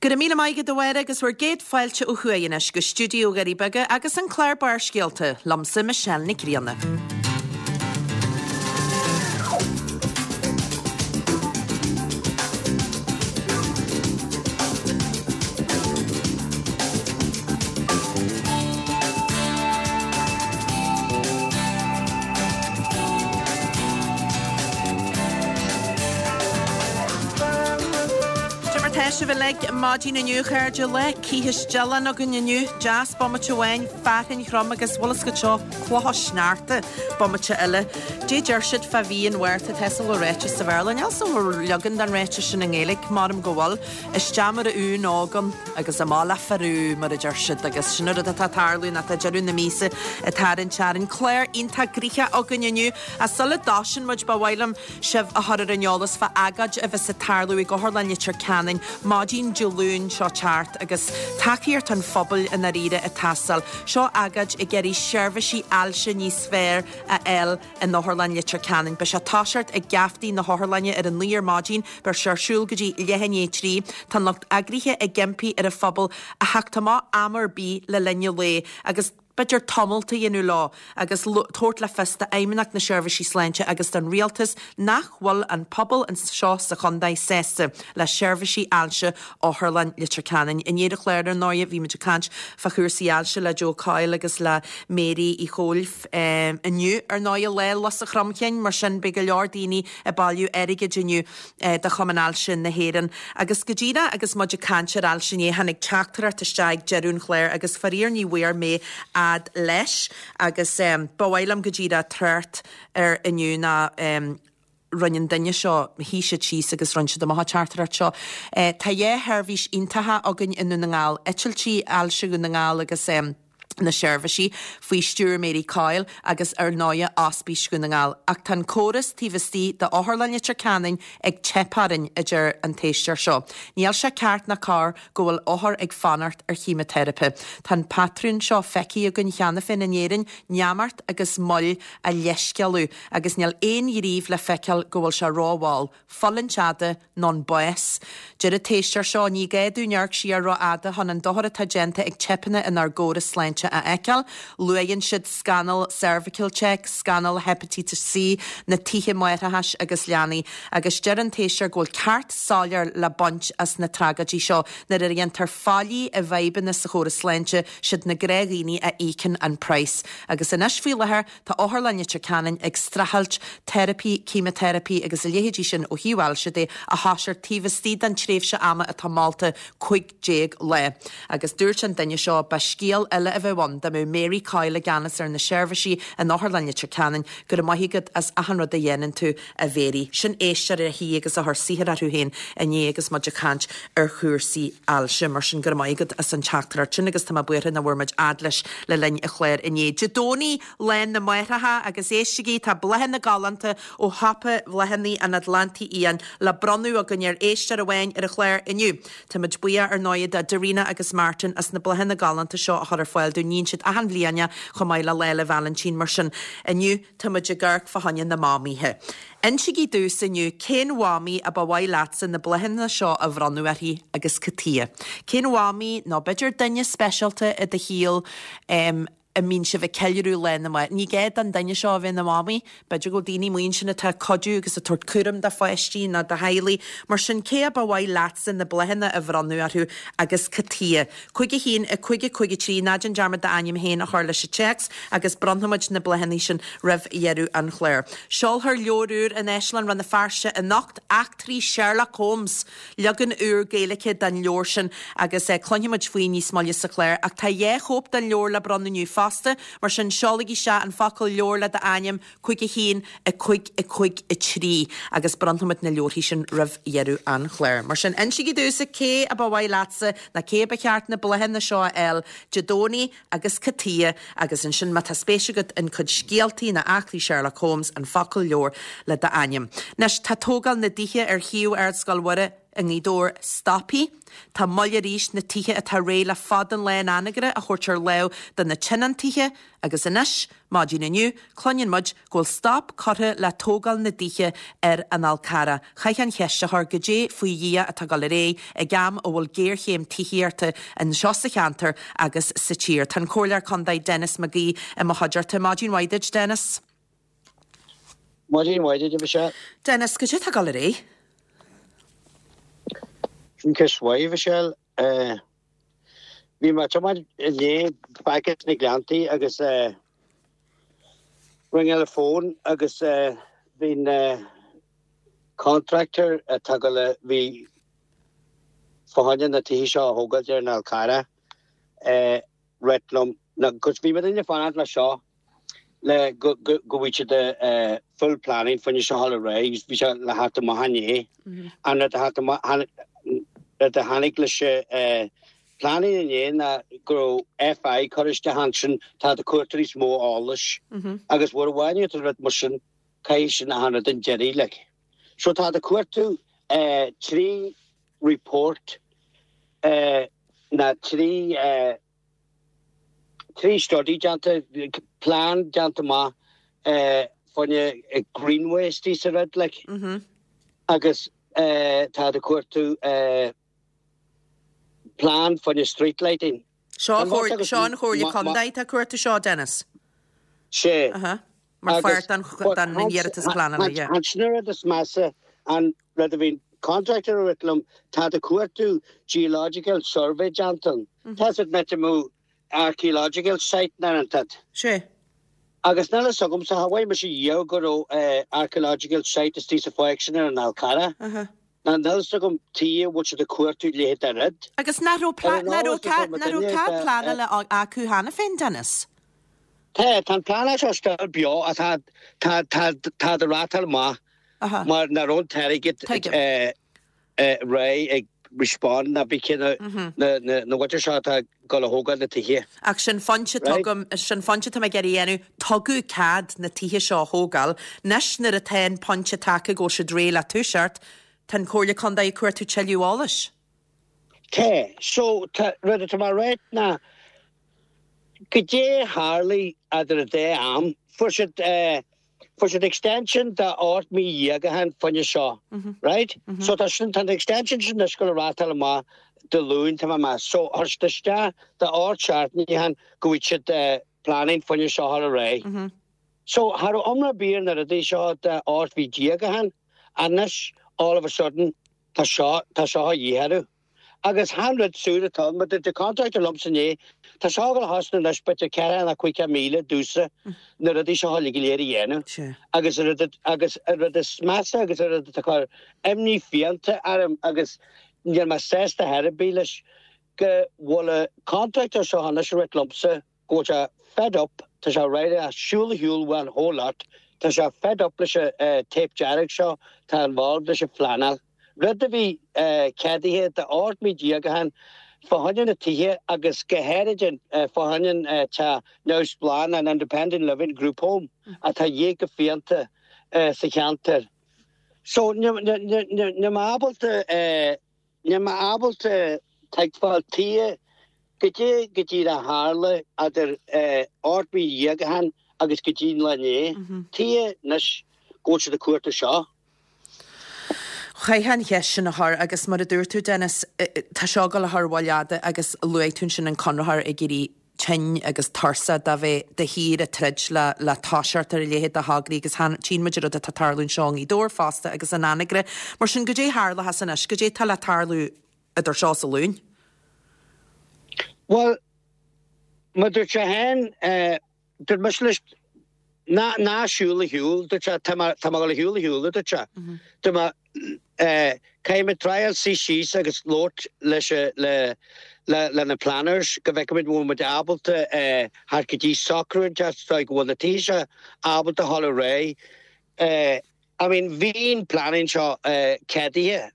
Go raibh míle maith agat a Mháire agus bhur gcéad fáilte ó thuaidh anois go stiúideo Dhoirí Beaga agus an clár Barrscéalta, liomsa Michelle Nic Grianna. Cad é mar tá sibh uilig maidin inniu a chairde, lá cithis dealán againn inniu, deas bomaite amháin, fearthainn throm agus bhfuil fhios agat seo, clocha sneachta bomaite eile. Dé deir siad fá mhí an Mhárta, tá fhios agam go bhfuil ráiteas sa Bhéarla, níl fhios agam an bhfuil leagan den ráiteas sin i nGaeilge, maram go bhfuil. Isteach mar a uan óg ann agus amach le fear úr, mar a deir siad, agus sin an rud atá ag tarlú nó tá deireadh na míosa ag tarraingt orainn. Clár iontach gnoitheach againn inniu, ach sula dtosaíonn muid, ba mhaith liom sibh a chur ar an eolas fá agóid a bheas ag tarlú ag Otharlann Leitir Ceanainn maidin Dé Luain seo teacht agus tacaíocht an phobail i ndáiríre ag teastáil. Seo agóid ag iarraidh seirbhísí ailse níos fearr a fháil in Otharlann Leitir Ceanainn. Beidh sé ag toiseacht ag geaftaí na hotharlainne ar a 9 ar maidin, beidh sé ar siúl go dtí leath i ndiaidh 3. Tá an lucht eagraithe ag impí ar an phobal a theacht amach am ar bith le linn an lae agus b'fhéidir tumult a dhéanamh leo agus tabhairt le fios d'Fheidhmeannacht na Seirbhísí Sláinte agus don Rialtas nach bhfuil an pobal anseo sa chontae sásta le seirbhísí ailse Otharlann Leitir Ceanainn. Inné ar an chlár ar ndóigh bhí muid ag caint fá chúrsaí ailse le Joe Coyle agus le Mary Uí Chomhaill. Inniu, ar ndóigh, Lá Lus an Chromchinn, mar sin beidh go leor daoine ag bailiú airgid inniu do Chumann Ailse na hÉireann. Agus go díreach agus muid ag caint ar ailse inné, tháinig teachtaireacht isteach ag deireadh an chláir agus faraor ní bhfuair mé fhad leis agus ba mhaith liom go díreach trácht air inniu ná rinne an duine seo, shuigh siad síos agus rinne siad amach an teachtaireacht seo. Tá dhá sheirbhís iontacha againn i nDún na nGall, Eitiltí Ailse Dhún na nGall agus na seirbhísí faoi stiúir Mary Coyle agus ar ndóighe Ospís Dhún na nGall. Ach tá an córas taobh istigh d'Otharlann Leitir Ceanainn ag teip orainn, a deir an t-éisteoir seo. Níl sé ceart ná cóir go bhfuil othair ag fanacht ar cheimiteiripe. Tá an patrún seo feicthe againn cheana féin in Éirinn, neamart agus moill á leithscéalú agus níl aon ghníomh le feiceáil go bhfuil sé rómhall, fulaingt fhada nó an bás. Deir an t-éisteoir seo, ní gá dúinn amharc siar rófhada chun an dochar atá déanta ag teipeanna inár gcóras sláinte a fheiceáil. Luaigheann siad scannal Cervical Check, scannal Heipitíteas C, na tithe máithreachais agus leanaí. Agus deir an t-éisteoir go bhfuil ceart soiléir le baint as na tragóidí seo. Nuair a dhéantar faillí i bhfadhbanna sa chóras sláinte, siad na gnáthdhaoine a íocann an praghas. Agus anois faoi láthair, Tá Otharlann Leitir Ceanainn ag streachailt teiripí, ceimiteiripí agus a leithéidí sin ó thaobh ailse de a thoiseacht taobh istigh den tréimhse ama atá molta, 15 lá. Agus dúirt an duine seo, ba scéal eile a bheadh ann dá mbeadh Mary Coyle i gceannas ar na seirbhísí in Otharlann Leitir Ceanainn, go raibh maith agat as achan rud a dhéanann tú, a Mhary. Sin éisteoir a shuigh agus a chuir saothar orthu féin inné agus muid ag caint ar chúrsaí ailse. Mar sin, go raibh maith agat as an teachtaireacht sin agus tá mé buartha nach bhfuair muid fhad leis le linn an chláir inné. Dé Domhnaigh, Lá na Máithreacha agus éistigí, tá bláthanna galánta ó shiopa bhláthanna an Atlantaigh Fhiáin le bronnadh againn ar éisteoir amháin ar an chlár inniu. Táimid buíoch ar ndóigh do Darina agus Martin as na bláthanna galánta seo a chur ar fáil dúinn. Níonn siad achan bhliain é chomh maith le Lá 'le Vailintín mar sin inniu Tá muid ag amharc fá choinne na mamaithe. Insígí domhsa inniu cén mhamaí a ba mhaith leatsa na bláthanna seo a bhronnadh uirthi agus cad tuighe. Cén mhamaí nó b'fhéidir duine speisialta i do shaol a mbíonn sibh ag ceiliúradh Lá na Máithreacha. Ní gá don duine seo a bheith ina mhamaí. B'fhéidir go bhfuil daoine amuigh ansin atá ag cuidiú agus ag tabhairt cúram do pháistí nó do theaghlaigh. Mar sin cé a ba mhaith leatsa na bláthanna a bhronnadh orthu agus cad tuighe. 5 1 5 5 3 Ná déan dearmad d'ainm féin a chur leis an téacs agus bronnfaimid na bláthanna sin roimh dheireadh an chláir. Seolfar leabhar úr in Áislann Rann na Feirste anocht, Eachtraí Sherlock Holmes! Leagan úr Gaeilge den leabhar sin agus cluinfimid faoi níos moille sa chlár. Ach tá dhá chóip den leabhar le bronnadh inniu fosta, mar sin seolaigí isteach an focal leabhar le d'ainm 5 1 5 5 3 agus bronnfaimid na leabharthaí sin roimh dheireadh an chláir. Mar sin, insígí domhsa cé a ba mhaith leatsa nó cé a ba cheart na bláthanna seo a fháil Dé Domhnaigh agus cad tuighe agus ansin má tá spéis agat in cuid scéaltaí nó eachtraí Sherlock Holmes, an focal leabhar le d'ainm. Anois, tá tógáil na dtithe ar shuíomh Ardscoil Mhuire. i nGaoth Dobhair stoptha. Tá moill arís na tithe atá réidh le fada an lá in Anagaire a thabhairt ar lámh do na tionóntaithe agus anois, maidin inniu, cluineann muid go bhfuil stop curtha le tógáil na dtithe ar an Fhál Carrach. Chaithfeá an cheist a chur, goidé faoi Dhia atá ag dul ar aghaidh ag am a bhfuil géarchéim tithíochta anseo sa cheantar agus sa tír? Tá an Comhairleoir Contae Denis McGee i mo chuideachta. Maidin mhaith duit, Denis. Maidin mhaith duit, a Mhichelle. Denis, goidé atá ag dul ar aghaidh? Sin ceist mhaith, a Mhichelle. Bhí mé ag tiomáint inné back as na Gleanntaí agus ring an phone agus bhí an contractor atá ag dul a bhí fá choinne na tithe seo a thógáilt ar an Fhál Carrach ag ráit liom, 'cause bhí muidinne ag fanacht le seo le go bhfuil siad full planning fá choinne seo a dhul ar aghaidh bhí sé le theacht amach inné. An rud a theacht amach rud a tháinig leis an planning inné ná go raibh FI curtha isteach ansin tá ag cuartú níos mó eolais agus mura bhfaigheann tú rud mar sin caithfidh sin a tháinig an deiridh like. So tá ag cuartú 3 report ná 3 3 study déanta, plean déanta amach fá choinne greenway istigh sa rud like agus tá ag cuartú plean fá choinne street lighting. Seo an Chomhairle Contae atá ag cuartú seo, Dennis? Sé. Mar pháirt den iarratas pleanála, yeah. Ansin an rud is measa, an rud a bhí an contractor ag ráit liom, tá ag cuartú geological survey déanta ann. Tá siad meant to move archaeological site na an tat. Sé. Agus níl fhios agamsa, cha bhfaighidh mise riamh go raibh archaeological site istigh sa pháirc sin ar an Fhál Carrach. Ná níl fhios agam tuige a bhfuil siad ag cuartú leithéid de rud. Agus nach raibh cead pleanála acu cheana féin, Dennis? Tá, tá an pleanáil seo still beo ach tá, tá, tá, tá ag rátáil amach mar nach raibh an t-airgead réidh ag respond ná bí cé na, na, na, na mhuintir seo atá ag dul a thógáil na tithe. Ach sin pointe tugaim, sin pointe atá mé ag iarraidh a dhéanamh, tugadh cead na tithe seo a thógáil. Anois nuair atá an pointe tagtha go bhfuil siad réidh le toiseacht, tá an Chomhairle Contae ag cuartú tuilleadh eolais. Tá. So, tá, rud atá mé a ráit ná, goidé a tharlaigh eadar an dá am, fuair siad eh, Fuair siad extension de 18 mí ó shin fá choinne seo, right? So tá sin, tá an extension sin anois ag dul a rátáil amach Dé Luain, tá mé ag meas. So chuir siad isteach de 8 seachtainí ó shin go bhfuil siad planning fá choinne seo a chur ar aghaidh. So cha raibh iomrá ar bith ar na rudaí seo de 18 mhí ó shin, anois all of a sudden tá seo, tá seo a dhíth orthu. Agus chan rud súd atá ann, mar dúirt an contractor liomsa inné, tá seo ag dul a chosnú anois b'fhéidir 4 nó 5,000 domhsa na rudaí seo uilig go léir a dhéanamh. Agus an rud, agus an rud is measa agus an rud atá ag cur imní fiánta orm agus níl mé sásta ar chor ar bith leis, go bhfuil an contractor seo anois ag ráit liomsa go bhfuil sé fed up, tá sé réidh le siúl a shiúl uaidh an whole lot, tá sé fed up leis an tape dearg seo atá involved leis an phleanáil. Rud a bhí ceadaithe de 18 mí ó shin fá choinne na tithe agus go háirid fá choinne an teach neamhspleách, an Independent Living Group Home, atá a dhíth go fiánta sa cheantar. So níl mé ábalta, níl mé ábalta tuigbheáil tuige goidé go díreach a tharla idir 18 mí ó shin agus go dtí an lá inné. Tuige anois go bhfuil siad ag cuartú seo. Chaithfeá an cheist sin a chur agus mar a dúirt tú, Dennis, tá seo ag dul a chur moill fhada agus luaigh tú ansin an conraitheoir ag éirí tinn agus tuirseach de bheith de shíor ag troid le le toiseacht ar a leithéid de thograí agus tchíonn muid an rud atá ag tarlú anseo i nGaoth Dobhair fosta agus in Anagaire. Mar sin, goidé a tharlóchas anois? Goidé atá le tarlú idir seo is an Luan? Bhuel, mar dúirt sé féin, Dúirt mise leis, ná, ná siúl a shiúl, dúirt sé, tá mé, tá mé ag dul a shiúl a shiúl, a dúirt sé. Dúirt mé, eh, caithfidh mé triáil suí síos agus labhairt leis a, le, le, le na planners go bhfeicfimid bhfuil muid ábalta, eh, theacht go dtí socrú inteacht so go bhfuil na tithe seo ábalta a dhul ar aghaidh. Eh, I mean, bhí an planning seo, eh, ceadaithe.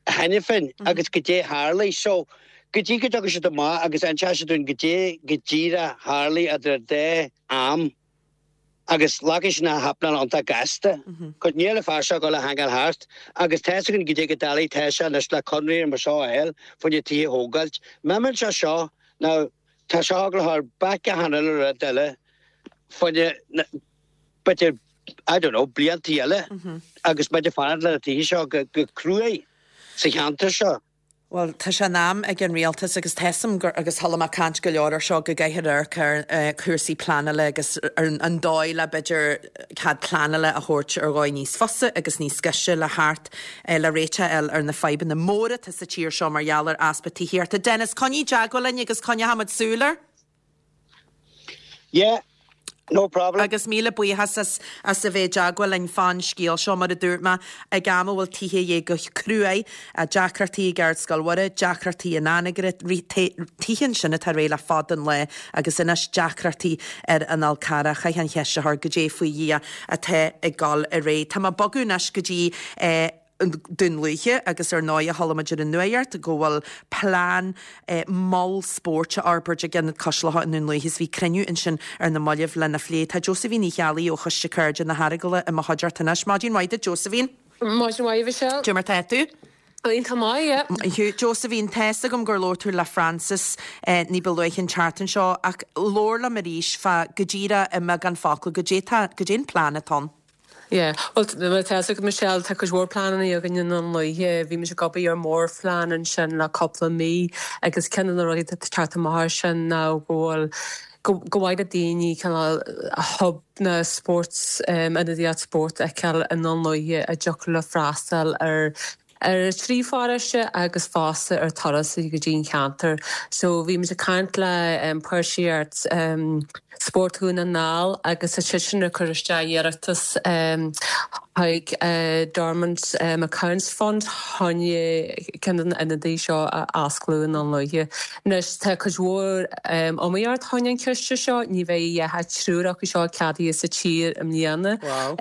cheana féin agus goidé a tharlaigh. So, go dtí go dtiocfaidh siad amach agus inseoidh siad dúinn goidé go díreach a tharlaigh idir an dá am. Agus glacfaidh sin happening iontach gasta. Cos níl an fear seo ag dul a hangáil thart agus tá fhios againn goidé chomh doiligh tá sé anois le conradh mar seo a fháil fá choinne tithe a thógáilt. Má imíonn sé seo now tá seo ag dul a chur bac achan uile rud eile fá choinne b'fhéidir I don't know bliantaí eile agus muid ag fanacht le na tithe seo go cruaidh sa cheantar seo. Bhuel, tá sé in am ag an rialtas agus tá 'fhios a'm gur, agus chuala mé caint go leor ar seo, go gcaithfear amharc ar chúrsaí pleanála agus ar an dóigh le b'fhéidir cead pleanála a thabhairt ar dhóigh níos fusa agus níos gaise le theacht le réiteach a fháil ar na fadhbanna móra atá sa tír seo mar gheall ar easpa tithíochta. Denis, coinnigh i dteagmháil linn agus coinneochaimid súil air. Yeah, no problem. Agus míle buíochas as as a bheith i dteagmháil linn fán scéal seo. Mar a dúirt mé, ag am a bhfuil tithe a dhíth go cruaidh, deacrachtaí ag Ardscoil Mhuire, deacrachtaí in Anagaire, tithe ansin atá réidh le fada an lá agus anois deacrachtaí ar an Fhál Carrach. Chaithfeá an cheist a chur, goidé faoi Dhia atá ag dul ar aghaidh. Tá mé ag bogadh anois go dtí Dún Lúiche agus ar ndóigh chuala muid ar an nuacht go bhfuil plean mol spóirt á fhorbairt ag Ionad Cois Locha i nDún Lúiche is bhí cruinniú ansin ar na mallaibh lena phlé. Tá Josephine Uí Cheallaigh ó Choiste Cairde na hEaragala i mo chuideachta anois. Maidin mhaith duit Josephine. Maidin mhaith Michelle. Cad é mar tá tú? Iontach maith, yeah. Maith thú. Josephine, tá fhios agam gur labhair tú le Francis ní ba luaithe an tseachtain seo ach labhair liom arís fá go díreach i mbeagán focal, goidé tá, goidé an plean atá ann? Yeah. Bhuel, mar atá fhios agat Michelle, tá cuid mhór pleananna againn i nDún Lúiche. Bhí muid ag obair ar mhórphlean ansin le cúpla mí agus ceann de na rudaí atá ag teacht amach as sin ná go bhfuil go gur mhaith le daoine cineál hub na sports, ionadaíocht spóirt a fheiceáil i nDún Lúiche a dtiocfadh leo freastal ar ar thrí pharóiste agus fosta ar turasóirí go dtí an cheantar. So bhí muid ag caint le Páirtíocht Spórt Dhún na nGall agus tá siadsan ag cur isteach iarratas chuig Dormant Accounts Fund chun ceann de na ionadaí seo a osclú i nDún Lúiche. Anois tá cuid mhór iomaíocht chun an ciste seo, ní bheidh ach triúr acu seo ceadaithe sa tír i mbliana. Wow.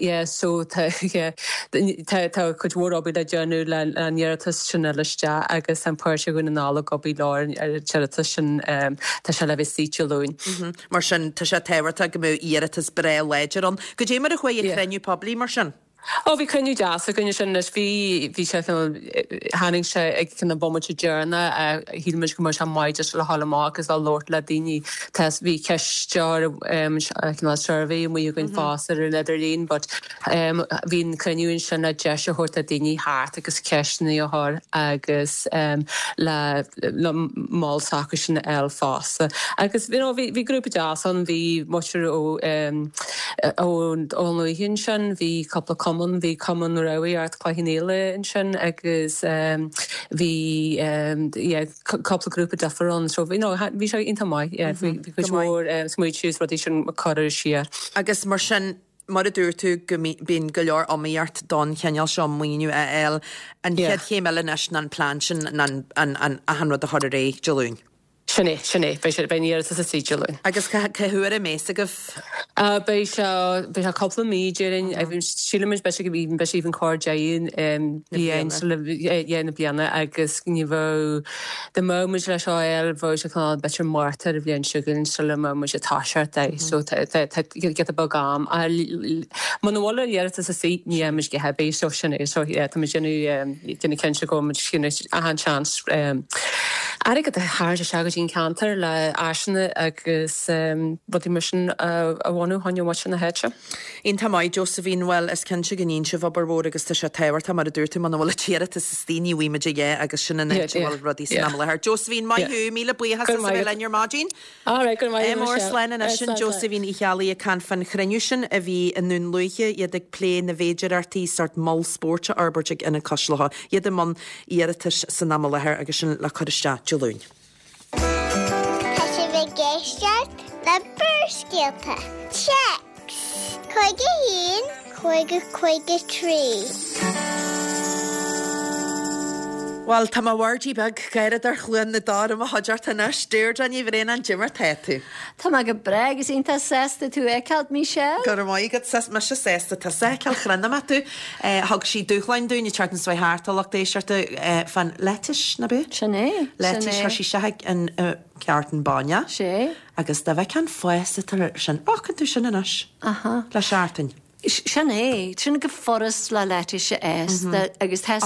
Yeah so tá yeah tá tá cuid mhór obair le déanamh le an iarratas sin a fháil isteach agus tá an Páirtí Dhún na nGall ag obair leo ar an iarratas sin tá sé le bheith istigh Dé Luain. Mar sin tá sé tábhachtach go mbeadh iarratas breá láidir ann. Goidé mar a chuaigh an cruinniú poiblí mar sin? Ó bhí cruinniú deas againn ansin anois. Bhí, bhí sé cineál, tháinig sé ag cineál bomaite deireanach, shíl muid go mbeadh sé maith just le dhul amach agus le labhairt le daoine. Tá, bhí ceisteoir, cineál survey amuigh againn fosta ar an idirlíon but bhí an cruinniú ansin le deis a thabhairt le daoine theacht agus ceisteanna a chur agus le, le mol s'acusan a fháil fosta. Agus you know bhí, bhí grúpa deas ann, bhí muintir ó, Ón Lúiche ansin bhí cúpla cumann, bhí Cumann Rámhaíocht Chloich Cheann Fhaola ansin agus bhí yeah cúpla grúpa difriúil ann so you know bhí sé iontach maith yeah bhí cuid mhór smaointe agus rudaí sin curtha siar. Agus mar sin, mar a dúirt tú go mbíonn go leor iomaíocht don chineál seo maoiniú a fháil, an chéad chéim eile anois ná an plean sin, ná an achan rud a chur ar aghaidh Dé Luain. Sin é, sin é. Beidh sé, beidh an iarratas istigh Dé Luain. Agus cá, cá huair a mbeas agaibh? Beidh sé, beidh sé cúpla mí déarfainn. Sílimid beidh sé, beidh sé even chóir deireadh bliain, yeah, na bliana agus ní bheadh, dá mbeadh muid leis seo a fháil, bheadh sé cineál b'fhéidir Márta ar an bhliain seo chugainn sula mbeadh muid ag toiseacht é. So tá, tá, tá giota beag am. Muna bhfuil an iarratas istigh, ní fhaighidh muid a dhath ar bith. So sin é. So yeah, tá muid déanamh, déanamh cinnte go bhfuil muid achan seans airgead a tharraingt isteach go dtí an ceantar le áiseanna agus rudaí mar sin a bhunú chun mhuintir na háite. Iontach maith, Josephine. Bhuel, is cinnte go ndéanann sibh obair mhór agus tá sé tábhachtach, mar a dúirt tú, muna bhfuil an t-iarratas istigh ní bhfaighidh muid a dhath agus sin an áit a bhfuil rudaí san am i láthair. Josephine, maith thú, míle buíochas as a bheith linn ar maidin. All right, go raibh maith agat, Mór slán anois sin Josephine Uí Cheallaigh ag caint fán chruinniú sin a bhí i nDún Lúiche, iad ag plé na bhféidireachtaí sórt mol spóirt a fhorbairt ag Ionad Cois Locha, iad i mbun iarratais san am i láthair agus sin le cur isteach Dé Luain. Tá sibh ag éisteacht le Barrscéalta. Téacs 51 50 53. Bhuel, tá mo bhirdie beag Gáireadóir Chluain na dTor i mo chuideachta anois. Deirdre Ní Bhraonáin, Cad é mar tá tú? Tá mé go breá agus iontach sásta tú a fheiceáilt, Michelle. Go raibh maith agat, 's mise sásta tusa a fheiceáil, chronaigh mé tú. Thug sí dúshláin dúinn ag teacht an svae thart, a lucht éisteachta, fán lettuce, ná b'é? Sin é, sin é. Lettuce, chuir sí isteach an carton bainne. Sé. Agus dá bhfeicfeá an fás atá air sin, fágann tú sin anois. Aha. Le seachtain. Sin é. Sin go furast le lettuce a fhás agus tá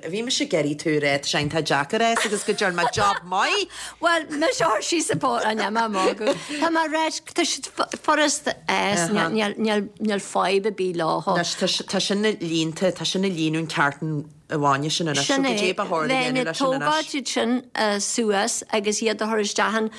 Bhí mise ag iarraidh tú a rá, tá sé iontach deacair fhás agus go dtearn mé job maith! Bhuel, mise a chuir síos an pó, an mé magadh. Tá mé ráit, tá siad furast a fhás, níl fadhb ar bith leo. Anois, tá sin líonta, tá sin ag líonadh an carton bainne sin anois, so Sin é. goidé ba chóir a Bheinn dhéanamh ag leis sin anois? tógáilt iad sin suas agus iad a chur isteach in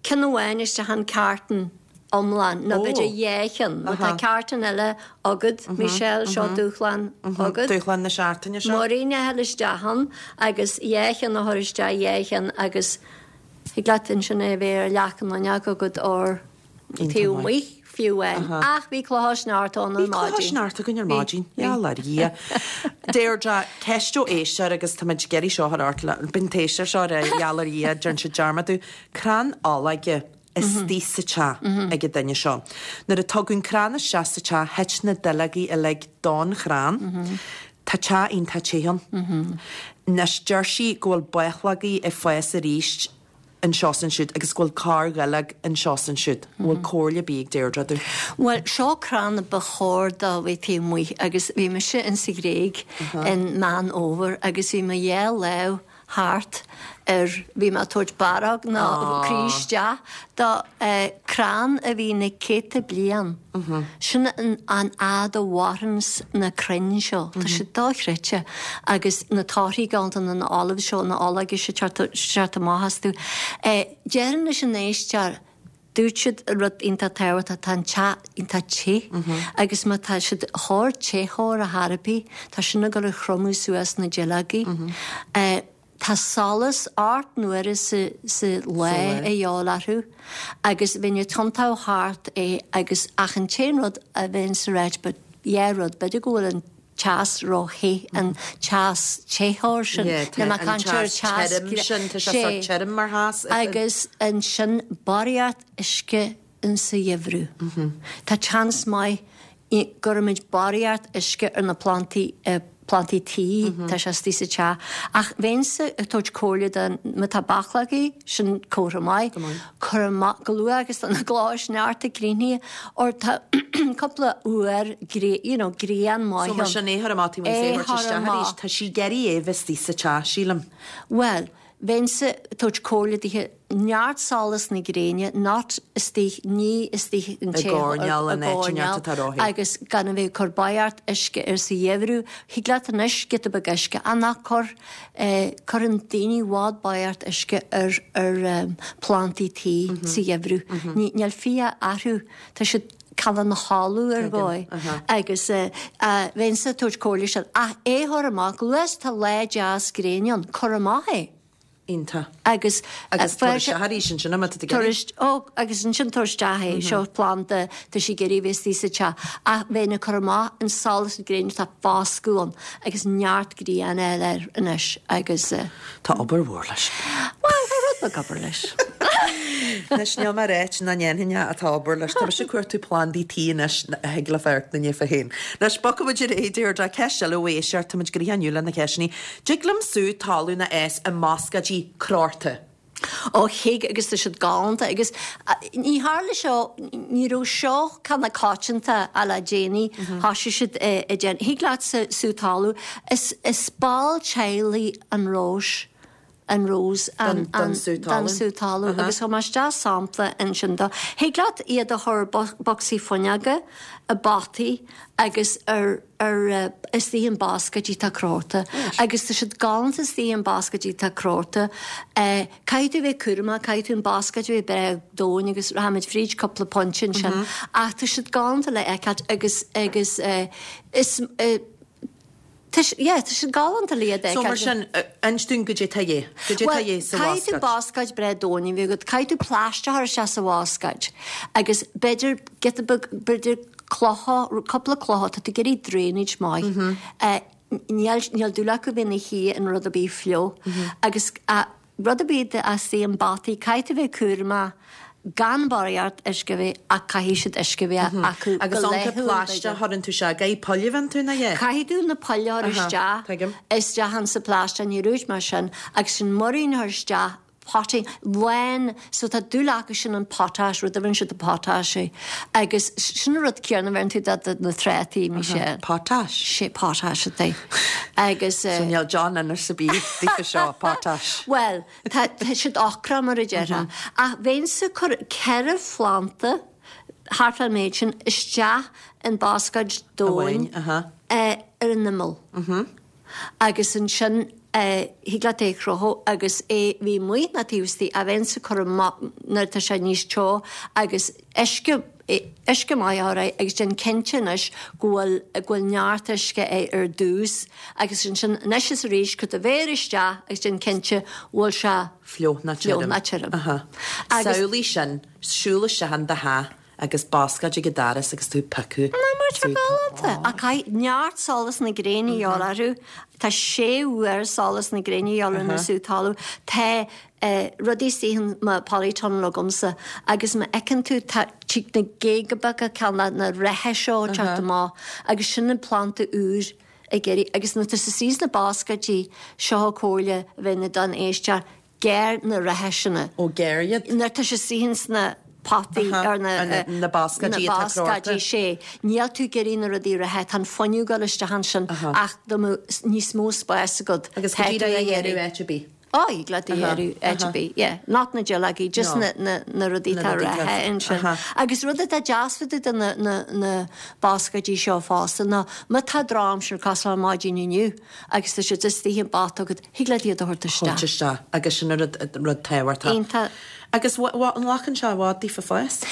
ceann amháin isteach in carton iomlán, nó b'fhéidir dhá cheann. Má tá carton eile agat, Michelle, seo dúshlán agat. Dúshlán na seachtaine seo. Muirín a fháil isteach ann agus dhá cheann a chur isteach, dhá cheann agus thig leat ansin é a bheith ar leac an fhuinneog agat or taobh amuigh fiú amháin. Ach bhí clocha sneachta ann ar maidin. Bhí clocha sneachta againn ar maidin. Gheall ar Dhia. Deirdre, ceist ó éisteoir agus táimid ag iarraidh seo a chur ort, bíonn an t-éisteoir seo ar gheall ar Dhia, déarfainn sé dearmadadh. Crann olóige istigh sa teach ag an duine seo. Nuair a tugadh an crann isteach sa teach thit na duilleogaí uilig don chrann. Tá teach iontach te ann. Anois deir sí go bhfuil bachlógaí ag fás arís anseo 's ansiúd agus go bhfuil corrdhuilleog anseo 's ansiúd. An bhfuil comhairle ar bith ag Deirdre dúinn? Bhuel, seo crann a ba chóir dó bheith taobh amuigh agus bhí mise in sa Ghréig in Meán Fhómhair agus bhí mo dhá lámh thart ar, bhí mé ag tabhairt barróg nó croí isteach do crann a bhí na céadta bliain. Sin an fhad a mhaireanns na crainn seo. Tá siad dochreidte. Agus na torthaí galánta na olives seo, na ológa seo ag teacht amach astu. Déarfainn leis an éisteoir, Dúirt siad rud iontach tábhachtach, tá an teach iontach te agus má tá siad ag cur téitheoir ar chor ar bith, tá sin ag dul a thriomú suas na duilleogaí. Tá solas 8 n-uaire sa lá a dhíobháil orthu agus bheinn ag tiontú thart é agus ach an t-aon rud a bheinn ag ráit, but dhá rud, b'fhéidir go bhfuil an teas ró-the, an teas téitheoir sin, Yeah, níl mé ag an caint ar teas teas tirim sin, tá sé sé. sórt tirim mar theas. Agus ansin barraíocht uisce insa gheimhreadh. Tá seans maith go gcuirimid barraíocht uisce ar na plantaí, plantaí tí, tá sé istigh sa teach. Ach bheinnse ag tabhairt comhairle do, má tá bachlógaí, sin comhartha maith, cuir amach go luath agus tá na clocha sneachta críochnaithe or tá cúpla uair you know grian maith So mar sin é a chur amach taobh amuigh is é a thabhairt isteach arís. Tá sí ag iarraidh é bheith istigh sa teach, sílim. Bhuel, bheinnse ag tabhairt comhairle dithe neart solas na gréine, not istigh, ní istigh an I gcoirnéal in áit inteacht atá róthe. agus gan a bheith ag cur barraíocht uisce air sa gheimhreadh. Thig leat anois giota beag uisce, ach ná cuir Cuireann daoine i bhfad barraíocht uisce ar ar plandaí tí sa gheimhreadh. Níl fiacha orthu, tá siad cineál ina chodladh ar dhóigh agus bheinnse ag tabhairt comhairle sin. Ach é a chur amach, go luath is atá lá deas gréine ann, cuir amach é. Iontach. Agus Agus tabhair isteach arís ansin é má tá tú ag iarraidh. Ó, agus ansin tabhair isteach é, seo planda, tá sí ag iarraidh a bheith istigh sa teach. Ach bheinn ag cur amach an solas na gréine, tá foscadh ann agus neart grian a fháil air anois agus. Tá obair mhór leis. Bhuel, tá rud beag obair leis. Anois, níl mé ag ráit nach ndéanfainn é ach tá obair leis. Tá mise ag cuartú plandaí tí anois a thig le fear na ndéafa féin. Anois, bogfaidh muid ar aghaidh, Deirdre, ceist eile ó éisteoir, tá muid gnoitheach inniu le na ceisteanna. Dtig liom sú talún a fhás i mbascáidí crochta. Ó thig agus tá siad galánta agus ní tharla seo, ní raibh seo cineál coitianta ach le déanaí, thoisigh siad ag déanamh, thig leat sú talún, is is ball teaghlaigh an róis, an rose, an, Don sú don talún. sú talún agus thug mé isteach sampla ansin dó. Thig leat iad a chur i bocsaí fuinneoga, i bpotaí agus ar ar istigh in bascaidí atá crochta agus tá siad galánta istigh in bascaidí atá crochta. Caithfidh tú a bheith cúramach, caithfidh tú an bascaid a bheith breá domhain agus rachaimid fríd cúpla pointe ansin ach tá siad galánta le fheiceáilt agus agus is tá yeah tá siad galánta le iad a So mar fheiceáilt. sin, inis dúinn goidé tá a dhíth, goidé tá a dhíth sa Caithfidh tú bhascáid. bascáid breá domhain a bheith agat, caithfidh tú plaisteach a chur isteach sa bhascáid agus b'fhéidir giota beag, b'fhéidir clocha, cúpla clocha, tá tú ag iarraidh drainage maith. Níl, níl dúil acu bheith ina shuí in rud ar bith fliuch. Agus rud ar bith atá istigh i bpotaí, caithfidh tú bheith cúramach gan barraíocht uisce a bheith ach caithfidh siad uisce a bheith acu go Agus laethúil, ionca plaisteach b'fhéidir. chuireann tú sé, gaidh poill a bhíonn tú ina dhiaidh? Caithfidh tú na poill a chur Aha, isteach, tuigim. isteach insa phlaisteach, ní dúirt mé sin, agus sin muirín a chur isteach, potting, lán, so tá dúil acu sin an potash, rud a bheireann siad potash é, agus sin an rud céanna a bheireann tú do na trátaí, Michelle. Potash? Sé potash atá agus. So níl John anois ar bith daofa seo, potash. Bhuel, tá tá siad ocrach mar a déarfá. Ach bheinnse ag cur 4 phlanta thart fán méid sin isteach in bascáid domhain ar an imeall. Agus ansin thig leat é a chrochadh agus é bheith amuigh ná taobh istigh ach bheinnse ag cur amach nuair atá sé níos teo agus uisce uisce maith a chur air agus déan cinnte anois go bhfuil go bhfuil neart uisce air ar dtús agus ansin anois is arís cuir do mhéar isteach agus déan cinnte go bhfuil sé fliuch ná fliuch tirim. ná tirim. Aha. Agus. Samhlaigh sin, siúl isteach in do theach Agus bascáid ag an doras agus tú ag piocadh. Ná mar tá galánta. Ach caithfidh neart solas na gréine a dhíobháil orthu. Tá sé uair solas na gréine a dhíobháil ar na sú talamh. Tá rudaí istigh in mo polytunnel agamsa agus má fheiceann tú tá tig na géaga beaga ceann de na reithe seo ag teacht amach agus sin an planda úr ag éirí agus nuair atá sé istigh sna bascáidí seo comhairle a bheith don éisteoir Gearr na reithe sin. Ó gearr iad. Nuair atá sé istigh ins na potaí ar na. Na bascáidí na atá crochta. bascáidí sé. Níl tú ag iarraidh na rudaí reithe, tá an fuinneamh ag dul isteach ansin ach dá mbeadh níos mó spáis agat Agus go tá dtí tú é a ag ghearradh iarraidh. áit ar bith. Ó, thig leat a ghearradh áit ar bith, yeah. Not na duilleogaí, just No. na, na, na rudaí Na atá rudaí atá- reithe ansin. Agus rud atá deas fá dtaobh de na, na, na bascáidí seo fosta ná má tá drochaimsir cosúil le maidin inniu, agus tá siad istigh i bpota agat, thig leat iad a thabhairt isteach. Thabhairt isteach agus sin an rud, rud tábhachtach. Iontach. Agus an nglacann sé i bhfad daofa fás?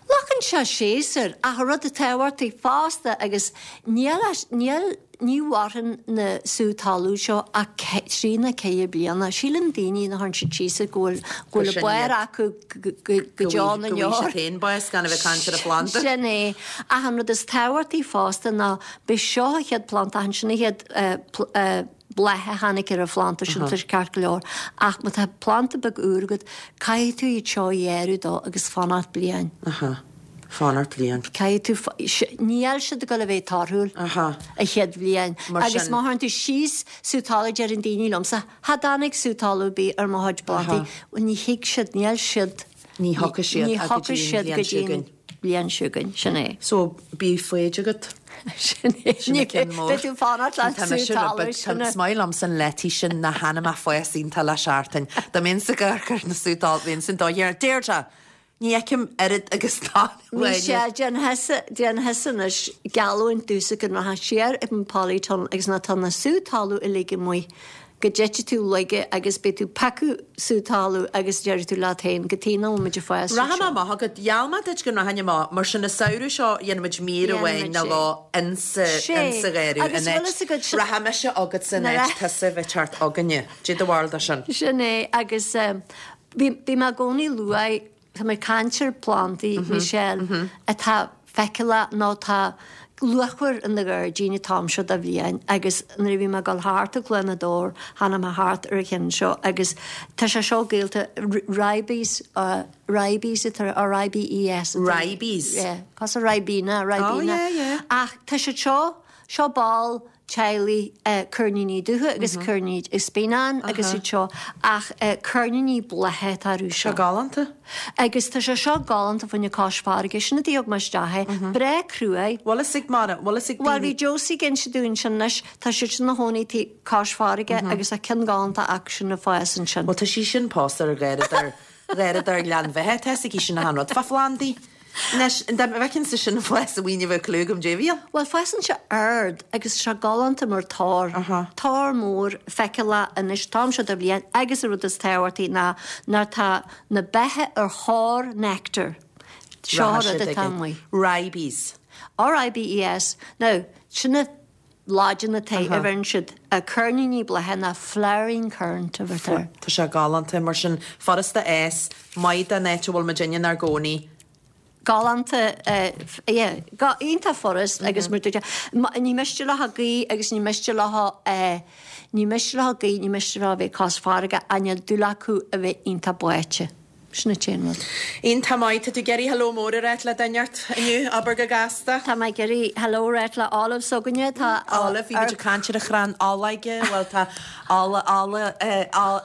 Glacann sé séasúr ach an rud tábhachtach fosta agus níl, níl, ní mhaireann na sú talún seo ach trí nó ceithre bliana. Síleann daoine nuair a chuireann siad síos iad go bhfuil, go bhfuil an barr acu go, go deo na Go ndeor. bhfaighidh siad féin bás gan a bheith ag caint ar an phlanda. Sin é. Ach an rud is tábhachtaí fosta ná B'é seo a chéad phlanda, ansin a chéad bláth a tháinig ar an phlanda sin, tá sé ceart go leor, ach má tá planda beag úr agat, caithfidh tú iad seo a ghearradh dó agus fanacht bliain. Aha. Fanacht bliain. Caithfidh tú, níl siad ag dul a bheith torthúil a chéad bhliain. Agus má chuireann tú síos sú talaimh, deireann daoine liomsa, cha dtáinig sú talamh ar bith ar mo chuid plandaí. Bhuel ní thig siad, níl siad, Ní thiocfaidh siad ní go thiocfaidh dtí an siad bhliain go dtí seo an chugainn. bhliain seo chugainn, sin é. So, bíodh foighid agat. Sin é. Sin an ceann mór. Beidh tú ag fanacht le Tá sú mise talamh, rud beag, sin é. Is maith liomsa an leitís sin nach ainm ach fás iontach le seachtain. Dá mbeinnse ag amharc ar na sú talamh, bheinnse an dóigh ar Deirdre! Ní fheicim oiread agus dath uaine. Michelle, déan thusa, déan thusa anois geallúint domhsa go rachfá siar ag an polytunnel agus nuair atá na sú talamh uilig amuigh go dtitfidh tú laige agus beidh tú ag piocadh sú talamh agus déarfaidh tú leat féin cad chuige nach bhfuil muid ag fás Rachaidh mé seo. amach agat. Gheall mé duit go rachainn amach, mar sin an samhradh seo dhéanfaimid mír amháin Dhéanfaimid nó sé. dhó insa Sé. insa gharradh Agus in bhfuil áit fhios agat sin. Rachaidh mise agatsa in Na áit tusa a bheith ag teacht againne. Dé do bharúil de sin? Sin é agus bhí bhí mé i gcónaí luath Tá mé ag caint ar phlandaí, Michelle, atá feiceálach nó atá luachmhar in do ghairdín an t-am seo de bhliain agus nuair a bhí mé ag dul thart i gCluain na dTor tháinig mé thart ar an cheann seo agus tá sé seo gaolta ribes, ribes atá R-I-B-E-S. Ribes? Yeah, cosúil Ribena, Ribena. Oh yeah, yeah. Ach tá siad seo, seo ball teaghlaigh coirníní dubha agus coirníní spíonán agus iad seo ach coirníní blátha atá orthu seo. Seo galánta. Agus tá sé seo galánta fá choinne cois farraige, sin an tuige a thug mé isteach é. Breá cruaidh. Bhfuil fhios ag Mara, bhfuil fhios ag Bhuel daoine. bhí Josie ag inse dúinn sin anois, tá siad sin ina chónaí taobh cois farraige agus tá ceann galánta acu sin ag fás ansin. Bhuel tá sí sin pósta ar gharradóir, gharradóir Ghleann Bheatha, tá fhios aici sin achan rud fá phlandaí. Anois, dá bhfeicinnse sin fás amháin ní bheadh clue agam dé bhí ann. Bhuel, fásann sé ard agus tá sé galánta mar tor. Tor mór feiceálach anois an t-am seo de bhliain agus an rud is tábhachtaí ná nuair atá na beithe ar thóir nectar. Seo an rud atá amuigh. Ribes. R-I-B-E-S. Now, sin na Laidin atá a bheireann siad coirníní blátha ná flowering currant a bheirtear. Tá sé galánta mar sin, furasta fhás, maith don áit a bhfuil muid inár gcónaí. Galánta, yeah, iontach furast agus mar dúirt ní miste leo gaoth agus ní miste leo, ní miste leo gaoth, ní miste leo a bheith cois farraige ach níl dúil acu a bheith iontach báite. Sin an t-aon rud. Iontach maith. Tá tú ag iarraidh hello mór a ráit le duine inteacht inniu, abair go gasta. Tá mé ag iarraidh hello a ráit le Olive s'againne. Tá. Olive, bhí muid ag caint ar an chrann olóige, bhuel tá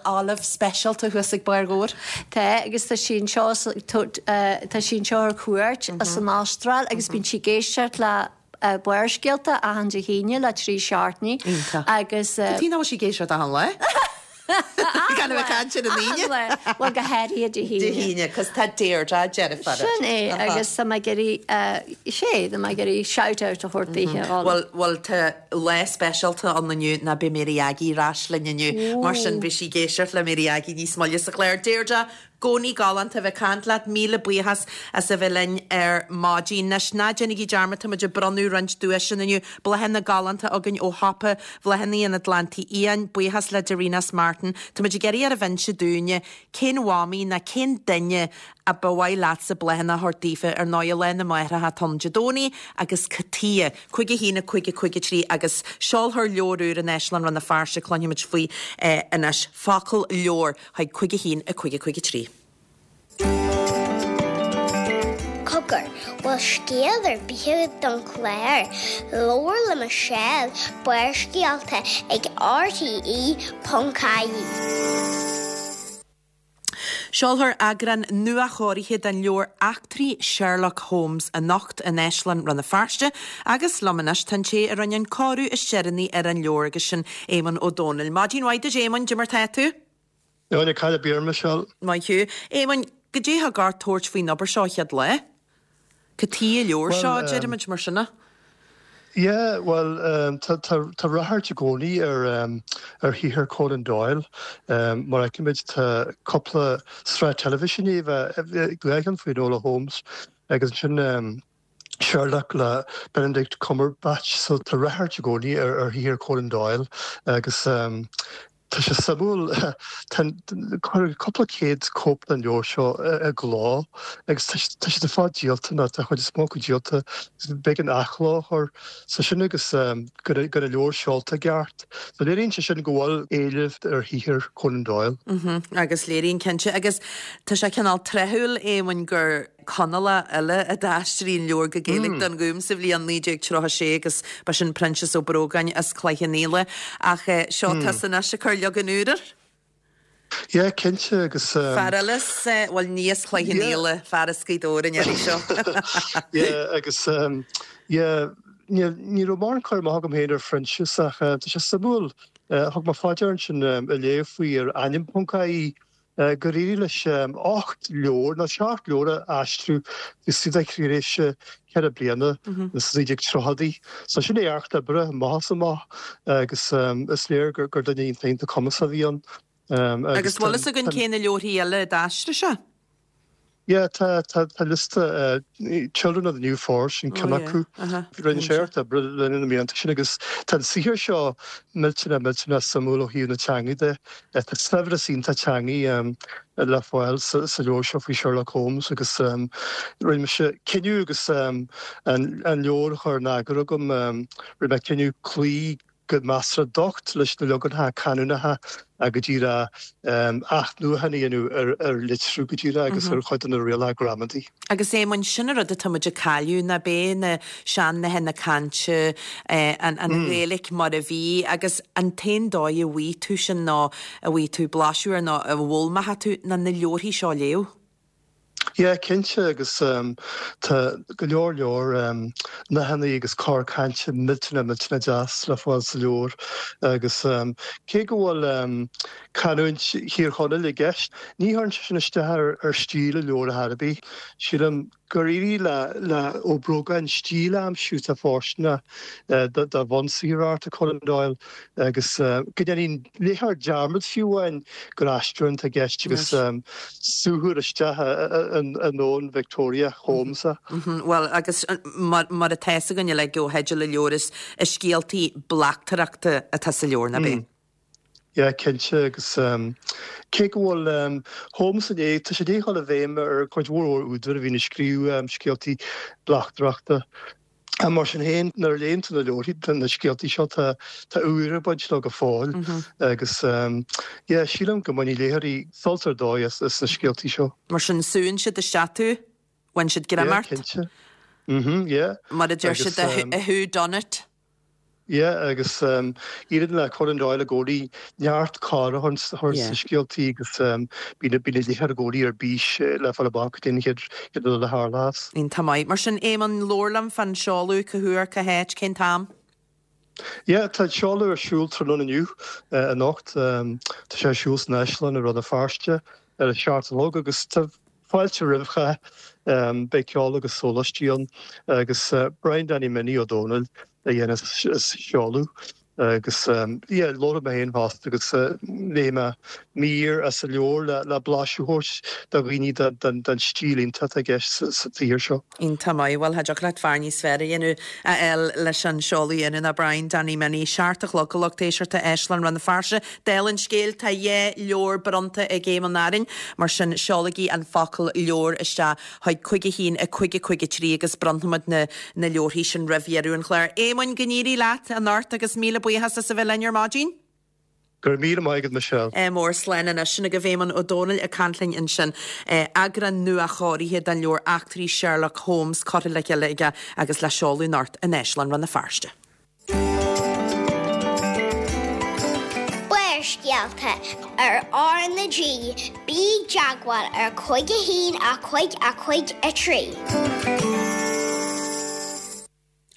Olive speisialta thuas ag barr Dhobhair. Tá, agus tá sí anseo, tá sí anseo ar cuairt as an Astráil agus bíonn sí ag éisteacht le Barrscéalta achan Dé hAoine le 3 seachtainí Iontach. agus. Cad chuige nach bhfuil sí ag éisteacht achan lá? Gan a bheith ag caint ar an Aoine. Achan lá. Bhuel, go háirithe Dé hAoine. Dé hAoine, 'cause tá Deirdre deirfiúr. Sin é, agus tá mé ag iarraidh, sé, tá mé ag iarraidh shout out a thabhairt daoithe. Bhuel, bhuel, tá lá speisialta ann inniu ná beidh Mary Aggie ar ais linn inniu, mar sin beidh sí ag éisteacht le Mary Aggie níos moille sa chlár. Deirdre, Cónaí galánta a bheith ag caint leat. Míle buíochas as a bheith linn ar maidin. Anois, ná déanaigí dearmad, tá muid ag bronnadh roinnt duaiseanna inniu. Bláthanna galánta againn ó shiopa Bhláthanna an Atlantaigh Fhiáin. Buíochas le Darynas Martin. Tá muid ag iarraidh oraibh inse dúinne cén mhamaí ná cén duine a ba mhaith leatsa bláthanna a thabhairt daofa. Ar ndóigh, Lá na Máithreacha atá ann Dé Domhnaigh agus cad chuige? 5 1 5 5 3 agus seolfar leabhar úr in Áislann Rann na Feirste, cluinfimid faoi anois. Focal leabhar. Chuig 5 1 5 5 3. Cogar, bhfuil scéal ar bith agat don chlár? Labhair le Michelle, Barrscéalta ag RTE.ie. Seolfar eagrán nuachóirithe den leabhar Eachtraí Sherlock Holmes anocht in Áislann Rann na Feirste agus liom anois tá an té a rinne an cóiriú is deireanaí ar an leabhar agus sin Éamonn Ó Dónaill. Maidin mhaith duit Éamonn, cad é mar tá tú? Áine, cad é mar, Michelle. Maith thú. Éamonn, goidé a thug ort tabhairt faoin obair seo an chéad lá? Cad chuige an leabhar seo, Bhuel, deirimid mar sin. Yeah, bhuel, tá, tá, tá ráchairt i gcónaí ar, ar shaothar Conan Doyle. Mar a fheicimid, tá cúpla sraith teilifíse i ndiaidh a bheith, dhá cheann faoi Enola Holmes agus ansin, Sherlock le Benedict Cumberbatch so tá ráchairt i gcónaí ar ar shaothar Conan Doyle agus tá sé suimiúil tá cuireadh cúpla céad cóip den leabhar seo i gcló agus tá tá siad ar fad díolta nó tá an chuid is mó acu díolta b'éigean athchló a chur so sin agus go raibh an leabhar seolta i gceart. So léiríonn sé sin go bhfuil éileamh ar shaothar Conan Doyle. Agus léiríonn cinnte agus tá sé cineál tráthúil Éamoinn gur Conallach eile a d'aistrigh an leabhar go Gaeilge don Ghúm sa bhliain 1936 agus ba sin Proinsias Ó Brógáin as Cloich Cheann Fhaola. Ach seo tusa anois ag cur leagan úr air. Yeah, cinnte agus. Fear eile as, bhuel ní as Cloich Cheann Fhaola, fear as Gaoth Dobhair an iarraidh seo. Yeah, agus yeah, ní raibh mórán cur amach agam féin ar Phroinsias ach tá sé suimiúil, thug mé fá dear ansin ag léamh faoi ar ainm.ie gur éirigh leis 8 leabhar, nó 7 leabhar a aistriú istigh de thréimhse 4 bliana sna 1930idí. So sin éacht oibre amach is amach agus is léir gur duine iontach iontach cumasach a bhí ann. Agus bhfuil fhios againn cé na leabharthaí eile a d'aistrigh sé? Yeah, tá tá tá liosta Children of the New Forest sin ceann acu. Rinne sé éacht oibre le linn na mblianta sin agus tá an saothar seo millteanach millteanach suimiúil ó thaobh na teanga de. Tá saibhreas iontach teangaí le fáil sa leabhar seo faoi Sherlock Holmes agus rinne mise cinneadh agus an leabhar á chur in eagar agam, rinne mé cinneadh cloí go measartha docht leis na leaganacha canúnacha go díreach athnuachan a dhéanamh ar litriú go díreach agus ar chuid de na rialacha gramadaí. Agus Éamoinn, sin an rud atá muid ag cailleadh, ná b'é na sean-nathanna cainte, an Ghaeilge mar a bhí, agus an t-aon dóigh a bhfaighidh tú sin nó a bhfaighidh tú blaiseadh air nó a bhfoghlaimeoidh tú ná na leabharthaí seo a léamh. Yeah, cinnte, agus tá go leor leor nathanna agus cor cainte millteanach millteanach deas le fáil sa leabhar agus cé go bhfuil canúint Thír Chonaill i gceist, ní chuireann sé sin isteach ar stíl an leabhair ar chor ar bith. Sílim gur éirigh le Ó Brógáin stíl a aimsiú atá fóirsteanach do bhunsaothar Arthur Conan Doyle agus go ndéanfaidh an léitheoir dearmad fiú amháin gur aistriúchán atá i gceist agus suaitheadh isteach i ndomhan Victoria Holmes é. Bhuel, agus mar atá fhios againn uilig ó theideal an leabhair, is scéaltaí bleachtaireachta atá sa leabhar, nach é? Yeah, cinnte, agus cé go bhfuil Holmes i ndiaidh, tá sé i ndiaidh dul i bhfeidhm ar chuid mhór mhór údar a bhíonn ag scríobh scéaltaí bleachtaireachta. Mar sin féin, nuair a léann tú na leabharthaí, na scéaltaí seo, tá tá úire ag baint leo go fóill agus yeah, sílim go mbainfidh léitheoirí sult ar dóigh as na scéaltaí seo. Mar sin, súnn siad isteach tú, bhain siad greim Yeah, ort. cinnte. Mhm, yeah. Mar a deir siad, a whodunit. Yeah, agus éiríonn le Conan Doyle i gcónaí neart corr a chur sna scéaltaí agus bíonn na léitheoirí i gcónaí ar bís le fáil amach cad é an chéad rud a tharlós. Iontach maith. Mar sin, Éamonn, labhair liom fán seoladh, cá huair, cá háit, cén t-am? Yeah, tá an seoladh ar siúl tráthnóna inniu, anocht. Tá sé ar siúl san Áislann i Rann na Feirste ar a seacht a chlog agus tá fáilte roimh chách. Beidh ceol agus sóláistí ann agus Brian Danny Minnie Ó Dónaill a dhéanfas an seoladh agus yeah labharfaidh mé féin fosta agus léifidh mé mír as an leabhar le blaiseadh a thabhairt do dhaoine den stíl iontach atá i gceist sa tsaothar seo. Iontach maith. Bhuel, cha dtiocfadh leat fear níos fearr a dhéanamh, a fháil leis an seoladh a dhéanamh ná Brian Danny Minnie. 7 a chlog, a lucht éisteachta, Áislann Rann na Feirste. Dála an scéil, tá 2 leabhar bronnta ag Éamonn orainn, mar sin seolaigí an focal 'leabhar' isteach chuig 5 1 5 5 3 agus bronnfaimid na na leabharthaí sin roimh dheireadh an chláir. Éamoinn, go n-éirí leat anocht agus míle buíochas as a bheith linn ar maidin. Go raibh míle maith agat Michelle. Ádh mór, slán anois. Sin agaibh Éamonn Ó Dónaill ag caint linn ansin. Eagrán nua-chóirithe den leabhar Eachtraí Sherlock Holmes curtha le chéile aige agus le seoladh anocht in Áislann Rann na Feirste. Barrscéalta ar R na G, bí i dteagmháil ar 5 1 5 5 3.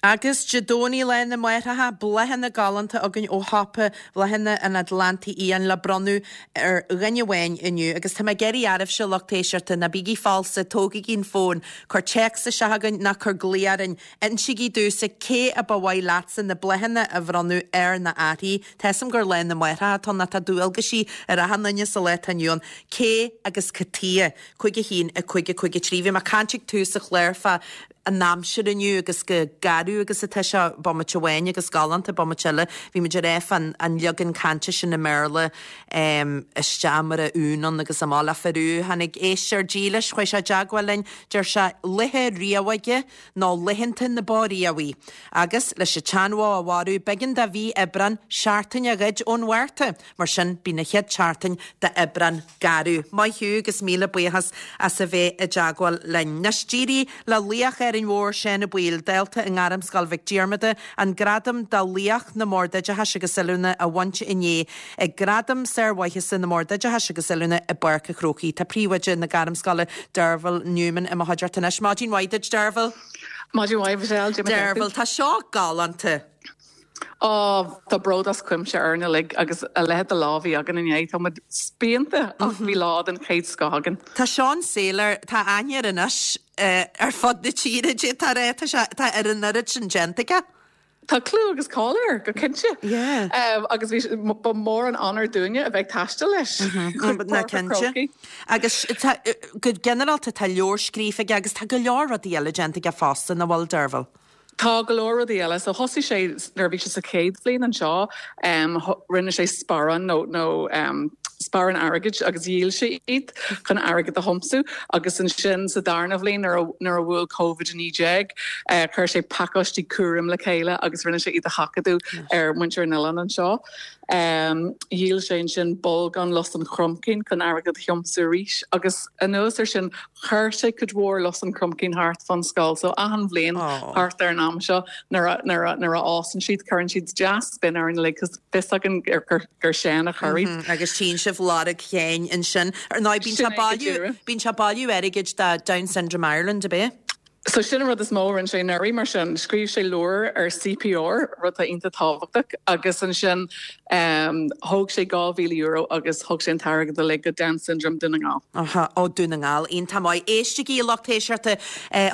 Agus Dé Domhnaigh Lá na Máithreacha, bláthanna galánta againn ó shiopa Bhláthanna an Atlantaigh Fhiáin le bronnadh ar dhuine amháin inniu. Agus tá mé ag iarraidh oraibhse, lucht éisteachta, ná bígí falsa, tógaigí an fón, cuir téacs isteach chugainn ná cuir glao orainn. Insígí domhsa cé a ba mhaith leatsa na bláthanna a bhronnadh air ná uirthi. Tá 'fhios a'm gur Lá na Máithreacha atá ann ach tá dualgaisí ar achan duine sa lá atá inniu ann. Cé agus cad tuighe? 5 1 5 5 3 Bhí mé ag caint ag tús an chláir fá an aimsir inniu agus chomh garbh agus atá sé bomaite amháin agus galánta bomaite eile. Bhí muid ag rá fán an leagan cainte sin i mBéarla isteach mar a uan agus amach le fir Tháinig éisteoir dílis, chuaigh sé i dteagmháil linn, deir sé, Laethe riabhaighe nó laethanta na bó riabhaí. Agus, leis an tseanbhó a mharú, b'éigean do mhí Aibreáin seachtain a ghoid ón Mhárta. Mar sin, bíonn an chéad tseachtain d'Aibreán garbh. Maith thú agus míle buíochas as a bheith i dteagmháil linn. Anois, d'éirigh le laoch Árainn Mhór, Seán Ó Baoill, dalta i nGairmscoil Mhic Diarmada, an gradam do Laoch na mBord Oideachais agus Oiliúna a bhaint inné ag Gradaim Sármhaitheasa na mBord Oideachais agus Oiliúna i bPáirc an Chrócaigh. Tá príomhoide na Gairmscoile, Derval Newman, i mo chuideachta anois. Maidin mhaith duit, Derval. Maidin mhaith, Michelle. Derval, tá seo galánta. Ó, tá bród as cuimse orainn uilig agus a leithéid de lá a bhí againn inné. Tá muid spíonta ach bhí lá den chéad scoth againn. Tá Seán Saylor, tá aithne air anois ar fud na tíre, d'fhéadfá a rá, tá sé, tá ar an oiread sin déanta aige. Tá clú agus cáil air, go cinnte. Yeah. Agus bhí, ba mhór an onóir dúinne a bheith ag taisteal leis chuig Ná Páirc an cinnte. Chrócaigh. Agus tá, go ginearálta tá leabhar scríofa aige agus tá go leor rudaí eile déanta aige fosta, nach bhfuil, Derval? Tá go leor rudaí eile. So thosaigh sé nuair a bhí sé sa chéad bhliain anseo, rinne sé sparáin nó nó sparáin airgid agus dhíol sé iad chun airgead a thiomsú agus ansin sa darna bhliain nuair a nuair a bhuail Covid-19 chuir sé pacáistí cúraim le chéile agus rinne sé iad a sheachadadh ar mhuintir an oileáin anseo. Dhíol sé ansin bolgán lus an chromchinn chun airgead a thiomsú arís agus anuas ar sin Chuir sé cuid mhór lus an chromchinn thart fán scoil so achan bhliain thart ar an am seo nuair a nuair a nuair a fhásann siad cuireann siad deas binn orainn uilig cos fios againn gur gur gur Seán a chuir iad. Agus tchíonn sibh lorg Sheáin ansin. Ar ndóigh bíonn sé Sin é go bailiú díreach. bíonn sé bailiú airgid do Down Syndrome Ireland, ab é? So sin an rud is mó a rinne sé anuraidh mar sin. Scríobh sé leabhar ar CPR, rud atá iontach tábhachtach, agus ansin thóg sé €2,000 agus thug sé an t-airgead uilig go Down Syndrome Dún na nGall. Aha, ó Dún na nGall. Iontach maith. Éistigí, a lucht éisteachta.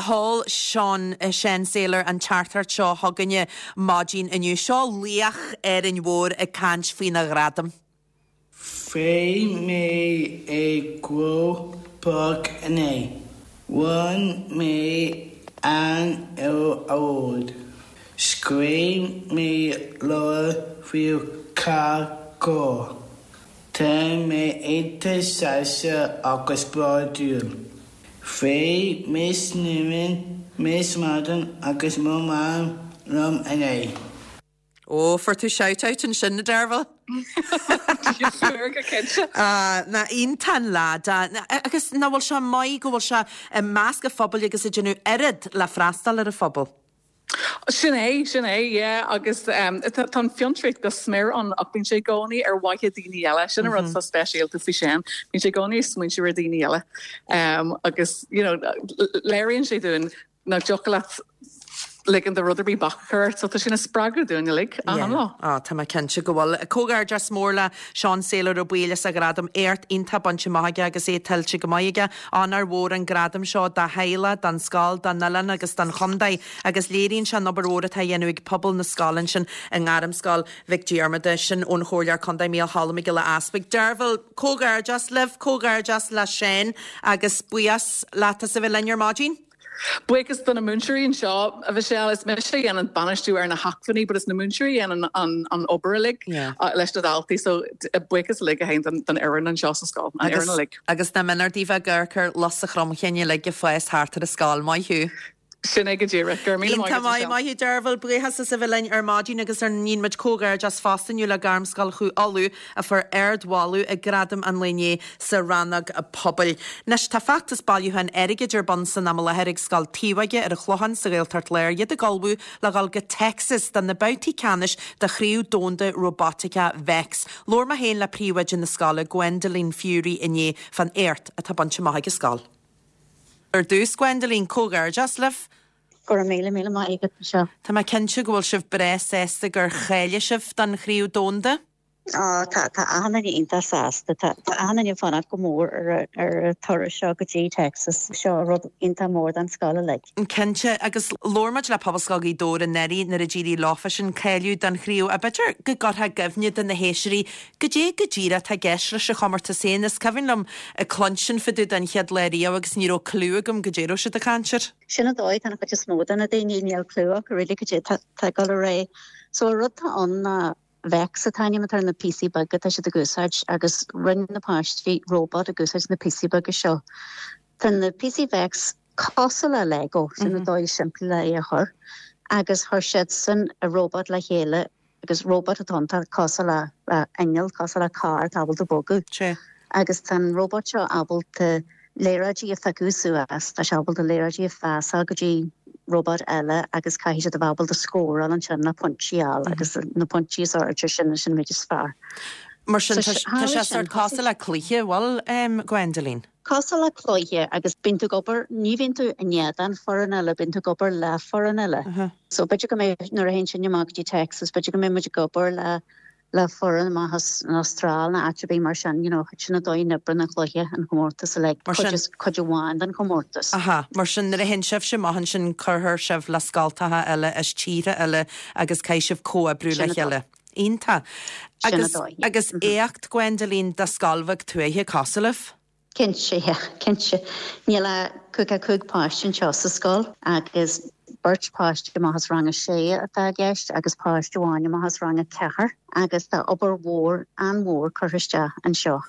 Sheol Seán, Seán Saylor an teachtaireacht seo chugainne maidin inniu. Seo laoch Árainn Mhór ag caint faoina ghradam. Bhí mé i gCroke Park inné. Bhain mé an-award. Scríobh mé leabhar faoi carr. Tá mé iontach sásta agus bródúil. Bhí Miss Newman, Miss Madden agus mo mham liom inné. Ó, fuair tú shout out ansin, a Dearbhail. Fuair go cinnte. Ah, nach iontach an leaid é. Agus nach bhfuil sé maith go bhfuil sé i measc an phobail agus ag déanamh oiread le freastal ar an phobal. Sin é, sin é, yeah, agus tá an fiontraíocht go smior ann ach bíonn sé i gcónaí ar mhaithe daoine eile, sin an rud atá speisialta faoi Shane, bíonn sé i gcónaí ag smaointiú ar daoine eile agus you know léiríonn sé dúinn nach dtiocfadh leat ligean do rud ar bith bac a chur ort, so tá sé ina spreagadh dúinn uilig achan lá. Yeah, tá mé cinnte go bhfuil. Comhghairdeas mór le Seán Saylor Ó Baoill as a ghradam, éacht iontach bainte amach aige agus é tuillte go maith aige. Onóir mhór an gradam seo dá theaghlach, don scoil, don oileán agus don chontae agus léiríonn sé an obair mhór atá á dhéanamh ag pobal na scoile ansin i nGairmscoil Mhic Diarmada. Sin ón Chomhairleoir Contae Mícheál Cholm Mac Giolla Easbuig. Dearbhail, comhghairdeas libh, comhghairdeas le Seán agus buíochas leat as a bheith linn ar maidin. Buíochas do na múinteoirí anseo, a Mhichelle. Is mise a dhéanann bainistiú ar na hacmhainní but is na múinteoirí a dhéanann an obair uilig leis na daltaí so buíochas uilig a théann don fhoireann anseo sa scoil, an fhoireann uilig. Agus nach méanar daoibh ag amharc ar lus an chromchinn uilig ag fás thart ar an scoil. Maith thú. Sin é go díreach. Go raibh míle maith agat, Iontach maith, maith thú Dearbhail. Buíochas as a bheith linn ar maidin agus ar ndóigh muid comhghairdeas fosta inniu le Gairmscoil Chú Uladh a fuair ardmholadh ag Gradaim an lae inné sa rannóg pobail. Anois, tá feachtas bailiúcháin airgid ar bun san am i láthair ag Scoil Taobhóige ar an Chlochán sa Ghaeltacht Láir, iad ag ullmhú le dhul go Texas do na babhtaí ceannais de Chraobh Domhanda Róbótaice Vex. Labhair mé féin le príomhoide na scoile, Gwendoline Furey inné fán éacht atá bainte amach ag an scoil. Ar dtús, Gwendoline, comhghairdeas libh. Go raibh míle, míle maith agat, Michelle. Tá mé cinnte go bhfuil sibh breá sásta gur cháiligh sibh don Chraobh Domhanda. Á, tá, tá achan duine iontach sásta. Tá, tá achan duine ag fanacht go mór ar a, ar an turas seo go dtí Texas. Seo rud iontach mór don scoil uilig. Cinnte, agus labhair muid le Pobalscoil Ghaoth Dobhair anuraidh nuair a d'éirigh leofa sin cáiliú don chraobh. Ach b'fhéidir go gcuirfeá i gcuimhne do na héisteoirí goidé go díreach atá i gceist leis an chomórtas féin. Is cuimhin liom ag cluinstin fá dtaobh den chéad lá riamh agus ní raibh cliú agam goidé a raibh siad ag caint air. Sin an dóigh, tá an chuid is mó de na daoine, níl cliú acu really goidé tá ag dul ar aghaidh. So an rud atá ann ná Vex an t-ainm atá ar na píosaí beaga atá siad ag úsáid agus rinne na páistí robot ag úsáid na píosaí beaga seo. Tá na píosaí Vex cosúil le Lego, sin an dóigh simplí le é a chur, agus chuir siadsan an robot le chéile agus robot atá ann atá cosúil le inneall, cosúil le carr atá ábalta bogadh. Agus tá an robot seo ábalta liathróidí a phiocadh suas, tá sé ábalta liathróidí a phasáil go dtí robot eile agus caithfidh siad a bheith ábalta scóráil ansin le pointí a fháil agus na pointí is airde sin sin an méid is fearr. Mar sin tá sé sort cosúil le cluiche, bhfuil, Gwendoline? Cosúil le cluiche agus bíonn tú ag obair, ní bhíonn tú in éadan foireann eile, bíonn tú ag obair le foireann eile. So b'fhéidir go mbeidh, nuair a théann sinn amach go dtí Texas, b'fhéidir go mbeidh muid ag obair le le foireann amach as an Astráil nó áit ar bith mar sin, you know, sin an dóigh a n-oibríonn an cluiche, an chomórtas uilig, Mar cuid sin. is cuid amháin den chomórtas. Aha, mar sin nuair a théann sibhse amach ansin cuirfear sibh le scoltacha eile as tíortha eile agus caithfidh sibh comhoibriú Sin le an dóigh. chéile. Iontach. Sin an Agus, dóigh, yeah. agus éacht, Gwendoline, do scoil bheag tuaithe cosúil libh. Cinnte, yeah, cinnte. Níl ach 55 páiste anseo sa scoil agus beirt páiste amach as rang a sé atá i gceist agus páiste amháin amach as rang a ceathair agus tá obair mhór, an-mhór curtha isteach anseo,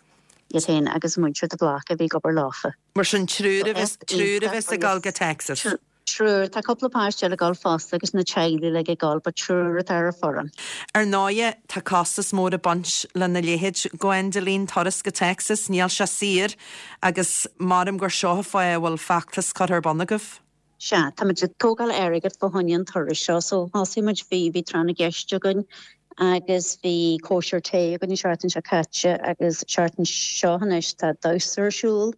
iad féin agus múinteoir de Bláca a bhí ag obair leofa. Mar sin triúr a bheas, triúr a bheas ag dul go Texas. Triúr. Tá cúpla páiste eile ag dul fosta agus na teaghlaigh uilig ag dul but triúr atá ar an foireann. Ar ndóighe, tá costas mór ag baint lena leithéid, Gwendoline, turas go Texas, níl sé saor agus maram gur seo an fáth a bhfuil feachtas curtha ar bun agaibh. Sea, táimid ag tógáil airgead fá choinne an turais seo so thosaigh muid, bhí, bhí tráth na gceist againn agus bhí cóisir tae againn an seachtain seo caite agus seachtain seo anois tá damhsa ar siúl,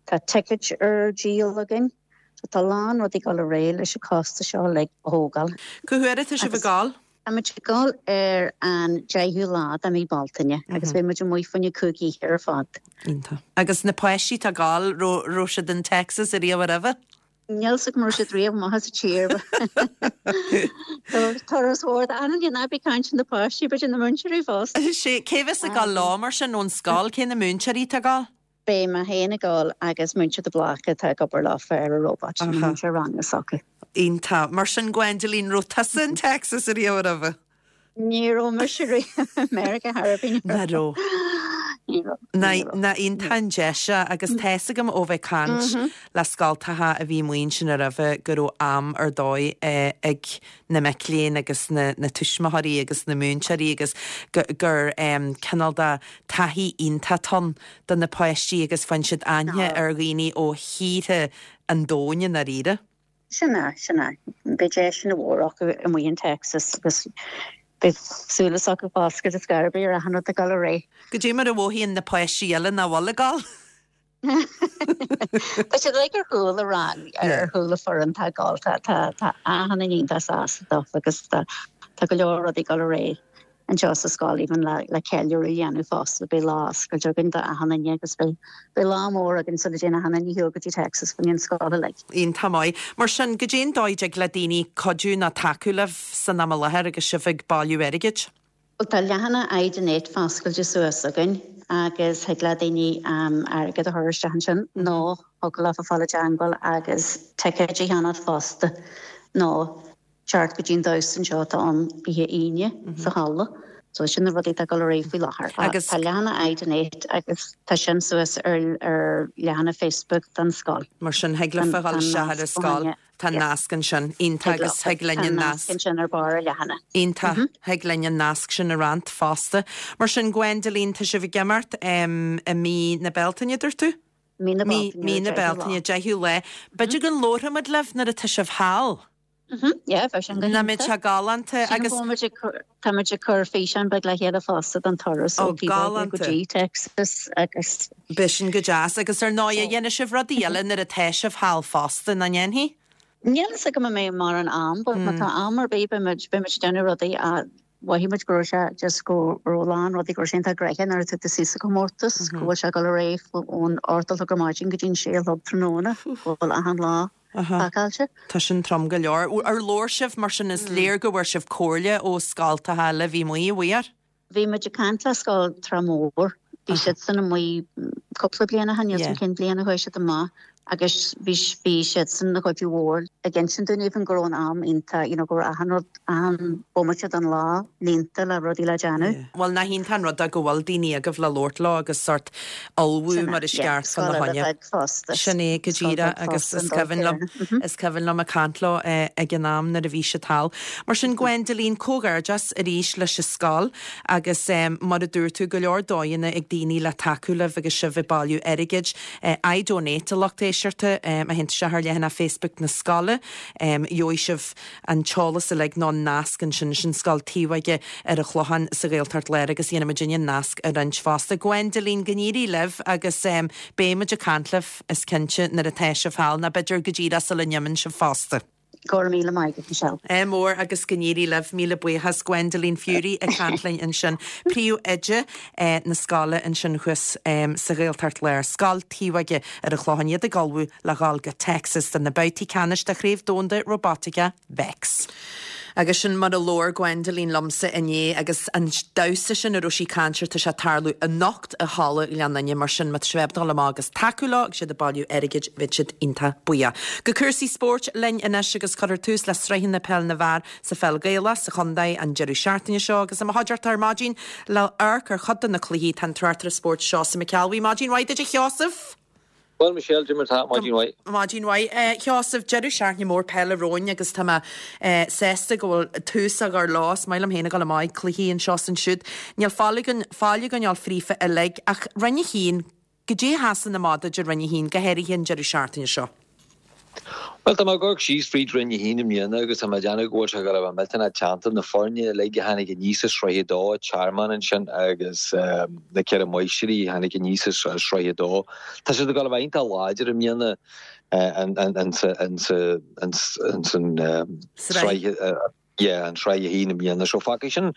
tá tickets ar díol againn. So tá a lán rudaí ag dul ar aghaidh leis an costas seo uilig a thógáil. Cá huair atá sibh ag dul? Tá muid ag dul ar an 10ú lá de mhí Bealtaine agus beidh muid amuigh fá choinne 5 oíche ar fad. Iontach. Agus na páistí atá ag dul, raibh raibh siad in Texas ariamh roimhe? Níl 's agam an raibh siad riamh amach as an tír. Turas mhór d'anam ná bí ag caint ar na páistí, b'fhéidir na múinteoirí fosta. Sea, cé bheas ag dul leo mar sin ón scoil? Cé na múinteoirí atá ag dul? Beidh mé féin ag dul agus múinteoir de Bláca atá ag obair leofa ar an robot, an múinteoir ranga s'acu. Iontach. Mar sin, Gwendoline, raibh tusa in Texas ariamh roimhe? Ní raibh mise riamh i Meiriceá thar ar bith. Nach raibh? Ní raibh. Ní raibh. Nach iontach an deis é agus tá fhios agam ó bheith ag caint le scoltacha a bhí amuigh ansin roimhe go raibh am ar dóigh ag na mic léinn agus na tuismitheoirí agus na múinteoirí agus gur cineál de taithí iontach atá ann do na páistí agus faigheann siad aithne ar dhaoine ó thíortha an domhain i ndáiríre. Sin é, sin é. Beidh deis ana mhór acu amuigh in Texas agus beidh súile s'acu foscailte ar scor ar bith ar achan rud ag dul ar aghaidh. Goidé mar a mhothaíonn na páistí eile nach bhfuil ag dul? Tá siad uilig ar chúl an rang, ar chúl an foireann atá ag dul. Tá, tá, tá achan duine iontach sásta dófa agus tá, tá go leor rudaí ag dul ar aghaidh anseo sa scoil even le, le ceiliúradh a dhéanamh fosta. Beidh lá oscailte againn do achan duine agus beidh, beidh lá mór againn sula dtéann achan duine ar shiúl go dtí Texas fá choinne an scoil uilig. Iontach maith. Mar sin, goidé an dóigh a dtig le daoine cuidiú nó tacú libh san am i láthair agus sibh ag bailiú airgid? Bhuel tá leathanach iDonate foscailte suas againn agus thig le daoine airgead a chur isteach ansin nó thig leofa fáil i dteangmháil agus ticéid a cheannacht fosta nó teacht go dtí an damhsa anseo atá ann oíche Aoine sa halla. So sin na rudaí atá ag dul ar aghaidh faoi láthair. Agus tá leathanach iDonate agus tá sin suas ar ar leathanach Facebook don scoil. Mar sin thig leofa dhul isteach ar an scoil. Tá nasc ansin. Iontach agus thig linn an nasc. Tá nasc ansin ar barr an leathanaigh. Iontach. Thig linn an nasc sin a roinnt fosta. Mar sin, Gwendoline, tá sibh ag imeacht i mí na Bealtaine, dúirt tú? Mí na Bealtaine. Mí na Bealtaine, 10ú lá. B'fhéidir go labharfaidh muid libh nuair atá sibh thall. Yeah, bheadh sin go hiontach. Nach mbeadh sé galánta agus. Tá muid ag cur físeán beag le chéile fosta don turas ó Taobh Óige go dtí Texas agus. Beidh sin go deas agus ar ndóigh dhéanfaidh sibh rudaí eile nuair atá sibh thall fosta, nach ndéanfaidh? Níl fhios agam an mbeidh mórán am but má tá am ar bith beidh muid beidh muid ag déanamh rudaí mhothaigh muid go raibh sé just go raibh a lán rudaí go raibh sé iontach gnoitheach nuair atá tú suí sa chomórtas go bhfuil sé ag dul ar aghaidh ón 8 a chlog ar maidin go dtí an 6 a chlog tráthnóna go bhfuil achan lá pacáilte. Tá sin trom go leor. Ar labhair sibh, mar sin, is léir go bhfuair sibh comhairle ó scoltacha eile a bhí amuigh, an bhfuair? Bhí muid ag caint le scoil Trá Mhór. Bhí siadsan amuigh cúpla bliain ó shin, níl 's agam cén bhliain a chuaigh siad amach agus bhí bhí siadsan ina chuid mhór ag insint dúinn even go raibh an am iontach, you know, go raibh achan rud, achan bomaite den lá líonta le rudaí le déanamh. Bhuel, nach iontach an rud é go bhfuil daoine agaibh le labhairt leo agus sórt ullmhú mar is ceart fá na choinne. Sin é go díreach agus is cuimhin liom, is cuimhin liom ag caint leo ag an am nuair a bhí siad thall. Mar sin Gwendoline, comhghairdeas arís leis an scoil agus mar a dúirt tú, go leor dóigheanna ag daoine le tacú libh agus sibh ag bailiú airgid. iDonate a lucht éisteachta, má théann tú isteach ar leathanach Facebook na scoile, gheobhaidh sibh an t-eolas uilig nó an nasc ansin, sin Scoil Taobh Óige ar an Chlochán sa Ghaeltacht Láir agus dhéanfaidh muidinne an nasc a roinnt fosta. Gwendoline, go n-éirí libh agus beidh muid ag caint libh, is cinnte, nuair atá sibh thall, nó b'fhéidir go díreach sula n-imíonn sibh fosta. Go raibh míle maith agat, Michelle. Ádh mór agus go n-éirí libh. Míle buíochas. Gwendoline Furey ag caint linn ansin, príomhoide na scoile ansin thuas sa Ghaeltacht Láir, Scoil Taobh Óige ar an Chlochán, iad ag ullmhú le dhul go Texas do na babhtaí ceannais de Chraobh Domhanda Róbataice Vex. Agus sin mar a labhair Gwendoline liomsa inné agus an damhsa sin a raibh sí ag caint air, tá sé ag tarlú anocht i Halla Ghleann Fhinne, mar sin má tá sibh ábalta dul amach agus tacú leo agus iad ag bailiú airgid, bheadh siad iontach buíoch. Go cúrsaí spóirt linn anois agus cuirfear tús le sraitheanna peil na bhfear sa pheil Ghaelach sa chontae an deireadh seachtaine seo agus i mo chuideachta ar maidin le amharc ar chuid de na cluichí tá an tráchtaire spóirt Seosamh Mac Ceallbhuí. Maidin mhaith duit a Sheosaimh! Bhuel, Michelle, cad é mar atá, maidin mhaith. Maidin mhaith. A Sheosaimh, deireadh seachtaine mór peile romhainn agus tá mé sásta go bhfuil tús á chur leo. Is maith liom féin a dhul amach ag cluichí anseo is ansiúd. Níl fáil againn, fáil againn a fháil fríofa uilig ach Roinn 1, goidé a sheasann amach duit i Roinn 1, go háirithe an deireadh seachtaine seo? Bhuel, tá mé ag amharc síos fríd Roinn 1 i mbliana agus tá mé ag déanamh go bhfuil sé ag dul a bheith millteanach teannta. Na foirne uilig a tháinig aníos i Sraith 2, Tearmann ansin agus na Ceithre Máistrí a tháinig aníos i Sraith 2, tá siad ag dul a bheith iontach láidir i mbliana insan sraith. yeah, an Sraith 1 i mbliana. So fágfaidh sin,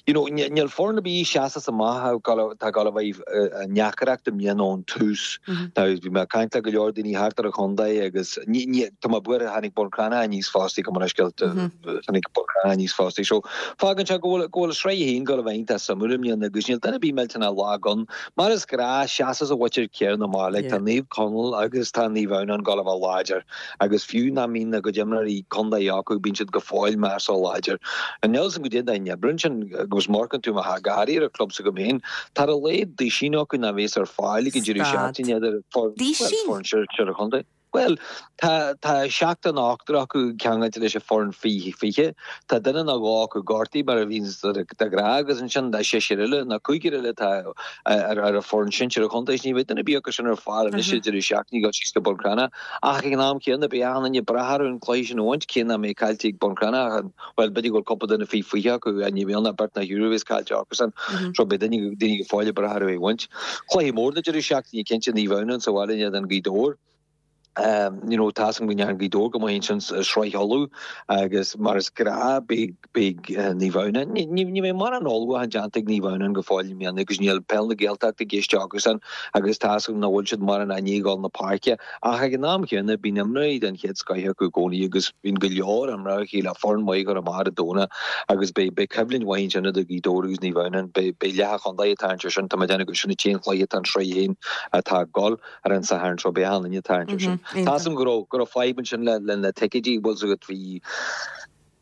you know, níl foireann ar bith a sheasas amach atá ag dul a bheith i ndeacaireacht i mbliana ón tús. Now, bhí mé ag caint le go leor daoine thart ar an chontae agus ní, ní, tá mé buartha, tháinig Bun Cranncha aníos fosta, gabh mo leithscéal, tháinig Bun Cranncha aníos fosta. So, fágann sé go bhfuil, go bhfuil Sraith 1 ag dul a bheith iontach suimiúil i mbliana agus níl duine ar bith millteanach lag ann. Mar is gnáth, seasas an mhuintir chéanna amach, like, tá Naomh Conaill agus tá Naomh Adhamhnáin ag dul a bheith láidir. Agus fiú nach mbíonn a gcuid imreoirí contae acu, bíonn siad go fóill measúil. láidir. Níl a fhios agam goidé an oibre ansin agus má amharcann tú amach go háirithe ar an club s'agam féin, tá ar a laghad duisín acu nach bhéas ar fáil ag an deireadh seachtaine idir foireann sinsir an chontae. Bhuel, tá tá seachtar nó ochtar acu ceangailte leis an foireann faoi 20. Tá duine nó dhó acu gortaithe mar a bhíonns de ghnáth agus ansin tá seisear eile nó cúigear eile atá ar ar an foireann sinsir an chontae. Ní bheidh duine ar bith acu sin ar fáil anois an deireadh seachtaine ag dul síos go Bun Cranncha. Ach ag an am céanna beidh achan duine breá orthu an cluiche sin a bhaint, cé nach mbeidh caillte ag Bun Cranncha ach an bhuel b'fhéidir go bhfuil cúpla duine faoi 20 acu ní bheidh ann ach beirt nó thriúr a bheas caillte acusan. So beidh daoine daoine go fóill breá orthu é a bhaint. Cluiche mór na deireadh seachtaine cinnte Naomh Adhamhnáin sa bhaile in éadan Gaoth Dobhair. You know, tá a fhios agam go ndearna Gaoth Dobhair go maith ansin sa Sraith Uladh agus mar is gnáth beidh beidh Naomh Adhamhnáin, ní ní bheidh mórán ullmhúchán déanta ag Naomh Adhamhnáin go fóill i mbliana agus níl Peil na Gaeltachta i gceist acusan agus tá a fhios agam nach bhfuil siad mórán i ndiaidh dhul na páirce ach ag an am chéanna bíonn imreoirí den chéad scoith acu i gcónaí agus bíonn go leor imreoirí le foireann mhaith a chur amach ar an Domhnach agus beidh beidh coimhlint mhaith ansin idir Gaoth Dobhair agus Naomh Adhamhnáin. Beidh beidh leath an chontae ag tarraingt ar sin, tá mé ag déanamh gur sin an t-aon chluiche atá an Sraith 1 atá ag dul. ar an Satharn seo, beidh achan duine ag tarraingt ar sin. Tá a fhios agam go raibh, go raibh fadhb ansin le, le na ticéidí, bhfuil a fhios agat, bhí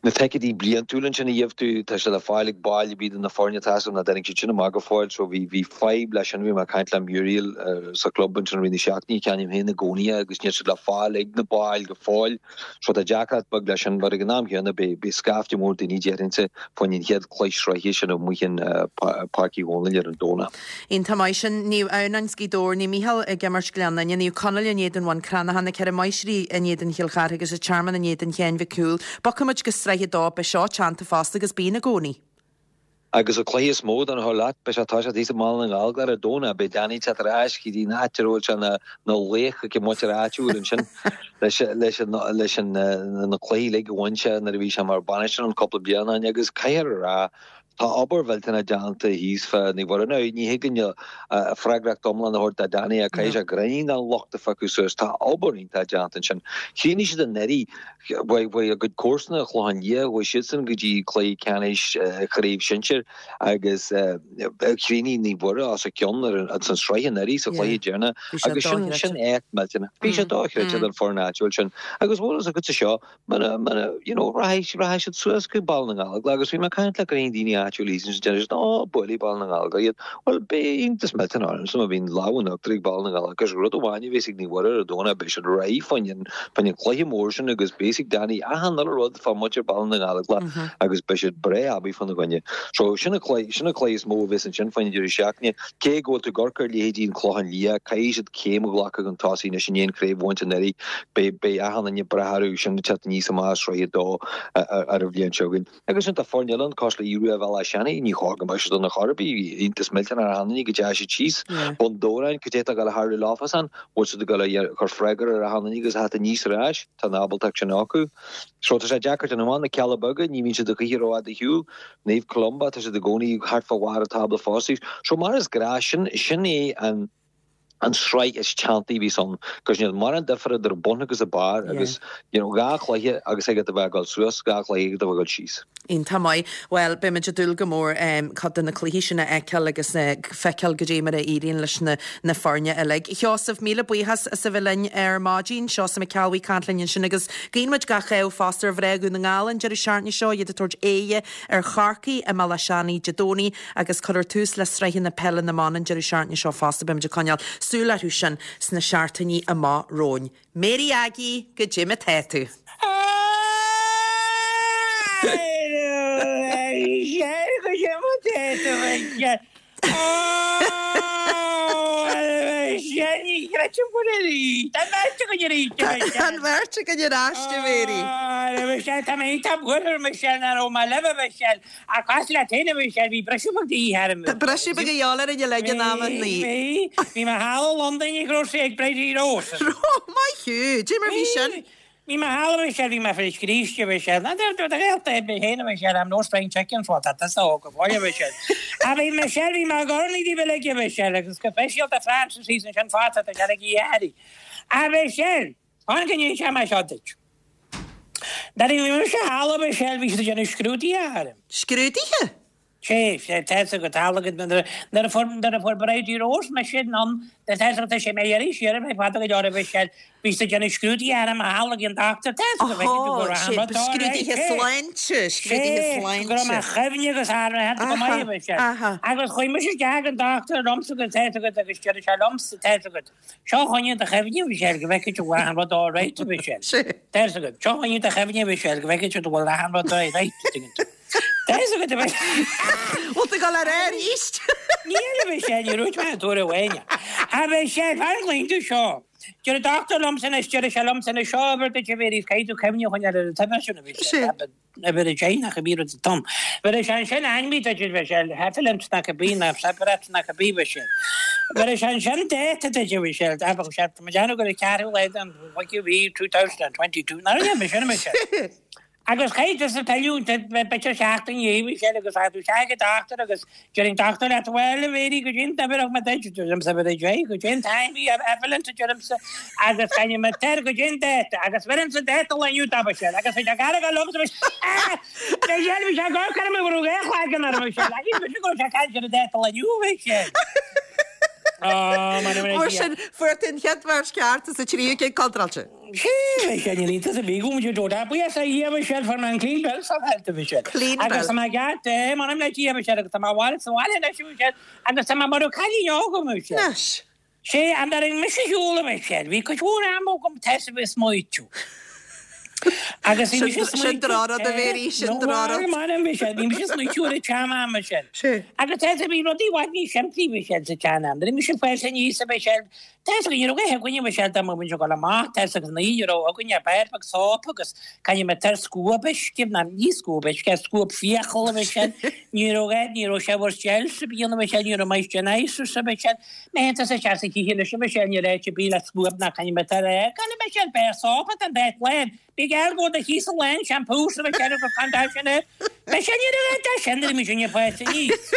na ticéidí bliantúla ansin a gheobh tú, tá sé le fáil ag baill ar bith de na foirne, tá a fhios agam nach dtáinig siad sin amach go fóill, so bhí, bhí fadhb leis sin, bhí mé ag caint le Muriel sa chlub ansin i rith na seachtaine, ceannaím féin i gcónaí é agus níl siad le fáil ag na baill go fóill. So tá deacracht beag leis sin, but ag an am chéanna beidh scaifte mór daoine déarfainnse fá choinne an chéad chluiche sraithe sin amuigh in Páirc Uí Dhónaill ar an Domhnach. Iontach maith sin. Naomh Adhamhnáin 's Gaoth Dobhair, Naomh Mícheál ag imirt Gleann Fhinne, Naomh Conaill in éadan Bhun Cranncha, na Ceithre Máistrí in éadan Chill Chartha agus an Tearmann in éadan Sheáin Mhic Cumhaill. Bogfaidh muid go Sraith 2, beidh seo teannta fosta agus bíonn i gcónaí. Agus an cluiche is mó don chur leat, beidh sé ag toiseacht thíos i mBaile na nGallóglach ar an Domhnach, beidh Danny ag teacht ar ais go dtí an áit a raibh sé ina laoch ag an muintir áitiúil ansin leis leis an leis an na cluichí uilig a bhain sé nuair a bhí sé mar bhainisteoir ann cúpla bliain ó shin agus caithfear a rá tá obair mhillteanach déanta thíos fá Naomh Mhuire. Now ní thig linn freagracht iomlán a thabhairt do Danny ach caithfidh sé gráinnín den locht a phiocadh suas. Tá obair iontach déanta ansin. Chríochnaigh siad anuraidh Bhuaigh a gcuid comharsana, an Clochán Liath, chuaigh siadsan go dtí cluiche ceannais chraobh shinsir agus chríochnaigh Naomh Mhuire os a cionn ar an sraith anuraidh sa chluiche deireanach agus sin sin éacht millteanach. Bhí sé dochreidte don foireann áitiúil sin agus bhfuil fhios agatsa seo muna muna you know rachaidh rachaidh siad suas go Baile na nGallóglach agus bhí mé ag caint le roinnt daoine áitiúil thíos ansin deir siad ó buailfidh Baile na nGallóglach iad. Bhuel beidh iontas millteanach ormsa má bhíonn lámh in uachtar ag Baile na nGallóglach agus rud amháin a bheas ag Naomh Mhuire ar an Domhnach beidh siad réidh fá choinne an chluiche mór sin agus beidh ag Danny achan uile rud fá mhuintir Baile na nGallóglach agus beidh siad breá aibí fána gcoinne. So sin an cluiche, sin an cluiche is mó a bheas ansin fá choinne an deireadh seachtaine. Cé go bhfuil tú ag amharc ar leithéidí an Clochán Liath, caithfidh siad céim a ghlacadh chun tosaigh anois i ndiaidh an chraobh a bhaint anuraidh. Beidh, beidh achan duine breá orthu sin ag teacht aníos amach as Sraith 2 ar an bhliain seo chugainn. Agus ansin tá foirne eile ann cosúil le Aodh Rua Bhéal Átha Seanaidh, ní chóir go mbeadh siad ann ar chor ar bith, iontas millteanach ar achan duine go dteachaigh siad síos. Bun Dobhráin, cad é atá ag dul a tharlú leofasan, bhfuil siad ag dul a chur freagra ar achan duine agus a theacht aníos ar ais, tá an ábaltacht sin acu. So tá sé deacair déanamh amach, na Cealla Beaga, ní bhíonn siad a choíche rófhada ar shiúl, Naomh Columba, tá siad i gcónaí thart fá bharr an tábla fosta. So mar is gnáth, sin, sin é an. an sraith is teanntaí a bhíos ann, cos níl mórán difear idir an bun agus an barr agus you know dhá chluiche agus agat a bheith ag dul suas, dhá chluiche agat a bheith ag dul síos. Iontach maith. Bhuel, beimid ag dúil go mór cuid de na cluichí sin a fheiceáil agus feiceáil goidé mar a éiríonn leis na na foirne uilig. Sheosamh, míle buíochas as a bheith linn ar maidin. Seosamh Mac Ceallbhuí ag caint linn ansin agus guíonn muid gach ádh fosta ar mhná Dhún na nGall an deireadh seachtaine seo, iad ag tabhairt aghaidhe ar Chorcaigh i mBéal Átha Seanaidh Dé Domhnaigh agus cuirfear tús le sraitheanna peile na mban an deireadh seachtaine seo fosta. Beimid ag coinneáil súil orthu sin sna seachtainí amach romhainn. Mary Aggie, goidé mar atá tú? Tá an bheirt againn ar ais, a Mhary. Ach as leat féin a Mhichelle, bhí briseadh beag de dhíth orm. Tá briseadh beag a dhíobháil orainn uilig in amannaí. Bhí, bhí mé thall i Londain ag raibh sé ag Bridie Rose. Ó, maith thú! Dé mar bhí sin? Bhí mé thall a Mhichelle, bhí mé fá scríste a Mhichelle. Ná do do ghaolta é mé féin a Mhichelle, I'm no spring chicken so tá tusa óg go fóill a Mhichelle. Ach bhí Michelle, bhí mé ag urnaí daoibh uilig a Mhichelle agus go speisialta Francis thíos ansin fosta, tá sé ag iarraidh. A Mhichelle! Fan go n-inseoidh mé seo duit. Nuair a bhí mise thall a Mhichelle bhí siad ag déanamh scrúduithe orm. Scrúduithe? Sé, sé, tá 'fhios agat, tharla go, nuair a fuair, nuair a fuair Bridie Rose mise anonn, tá 'fhios agat, tá sé mé iarraidh siar ar feadh fada go leor a Mhichelle, bhí siad ag déanamh scrúduithe orm a tharla ag an dochtúir, tá 'fhios agat, bhí go raibh an rud all right, Scrúduithe sé. sláinte, scrúduithe Sé, sláinte. go raibh mo chuimhne agus athraithe go maith a Mhichelle. Agus chuaigh mise isteach ag an dochtúir liomsa agus tá 'fhios agat agus deir sé liomsa, tá 'fhios agat, Seo chugainn do chuimhne, a Mhichelle, go bhfeicfidh tú go bhfuil achan rud all right, a Mhichelle. Tá 'fhios agat. Seo chugainn do chuimhne, a Mhichelle, go bhfeicfidh tú go bhfuil achan rud all right, a dtuigeann tú. Tá 'fhios agat, a Mhichelle. Bhfuil tú ag dul ar air arís? Níl, a Mhichelle, ní dúirt mé an tuair amháin. A Mhichelle, fan go gcluin tú seo. Deir an dochtúir liomsa anois, deir sé liomsa anois, seo uimhir duit, a Mhéirí, caithfidh tú cuimhne a choinneáil ar an t-uimhir sin, a Mhichelle. Uimhir 10 nach bhí rud tom. Bheir sé ansin ainmhí duit a Mhichelle, Heffalumps nach bhí ná Separate nach bhí Mhichelle. Bheir sé ansin dáta duit a Mhichelle, bheadh sé tá mé ag déanamh gur an ceathrú lá den bhfichiú mhí 2022 nach raibh mé sin a Mhichelle. Agus chaith tusa pilleadh b'fhéidir seachtain i ndiaidh Mhichelle agus thagadh tú isteach ag an dochtúir agus deir an dochtúir leat bhuel a Mhéirí goidé an uimhir a thug mé duit, deirimse uimhir 10, goidé an t-ainmhí Heffalumps a deirimse agus caithfidh mé tar goidé an dáta agus bheirimse dáta lae inniu dá Mhichelle agus bhí sé gar go liomsa bhí sé bhí sé gar go raibh go raibh cloigeann orm Michelle ach bhí sé go raibh sé ag caint ar an dáta lae inniu Michelle. Ó, mar a Mar sin, fuair tú an chéad bheirt ceart is an tríú cinn contráilte. Sé, Michelle, níl iontas ar bith go bhfuil tú buíochas le Dia Michelle fuair mé an clean bill of health Michelle. Clean bill. Agus tá mé ceart, eh, m'anam le Dia Michelle agus tá mé abhaile sa bhaile anois Michelle agus tá mé mar a cailín óg Michelle. Anois. Sé, an dtarraing mise ar shiúl a Mhichelle, bhí cuid mhór ama agam tá 'fhios agat ag smaoitiú. Agus bhí mise ag Sin smaoitiú, drochrud a Mhéirí, sin no, drochrud. bhuel, m'anam Michelle, bhí mise ag smaoitiú ar an tsean-am Michelle. Sé. Agus tá 'fhios agat bhí rudaí i bhfad níos simplí Michelle sa tsean-am. Nuair a bhí mise ag fás aníos a Mhichelle, Tá 'fhios agat ní raibh a dhath againne Michelle dá mbeadh muid ag dul amach, tá 'fhios agat ní raibh againne ach beár beag sóip agus caithfidh mé tar scuab uisce, ná ní scuab uisce, scuab fiacal a Mhichelle, ní raibh a dhath, ní raibh shower gels ar bith ann a Mhichelle, ní raibh moisturisers a Mhichelle, má théann tusa isteach sa teach anois a Mhichelle, níl áit ar bith le scuab ná caithfidh mé tar é, gan a Mhichelle, beár sóip atá an dá lán, bí geall go do chíos a lán shampoo sa Mhichelle agus gan dabht sin air, Michelle ní raibh a dhath de sin nuair a bhí muidinne ag fás aníos.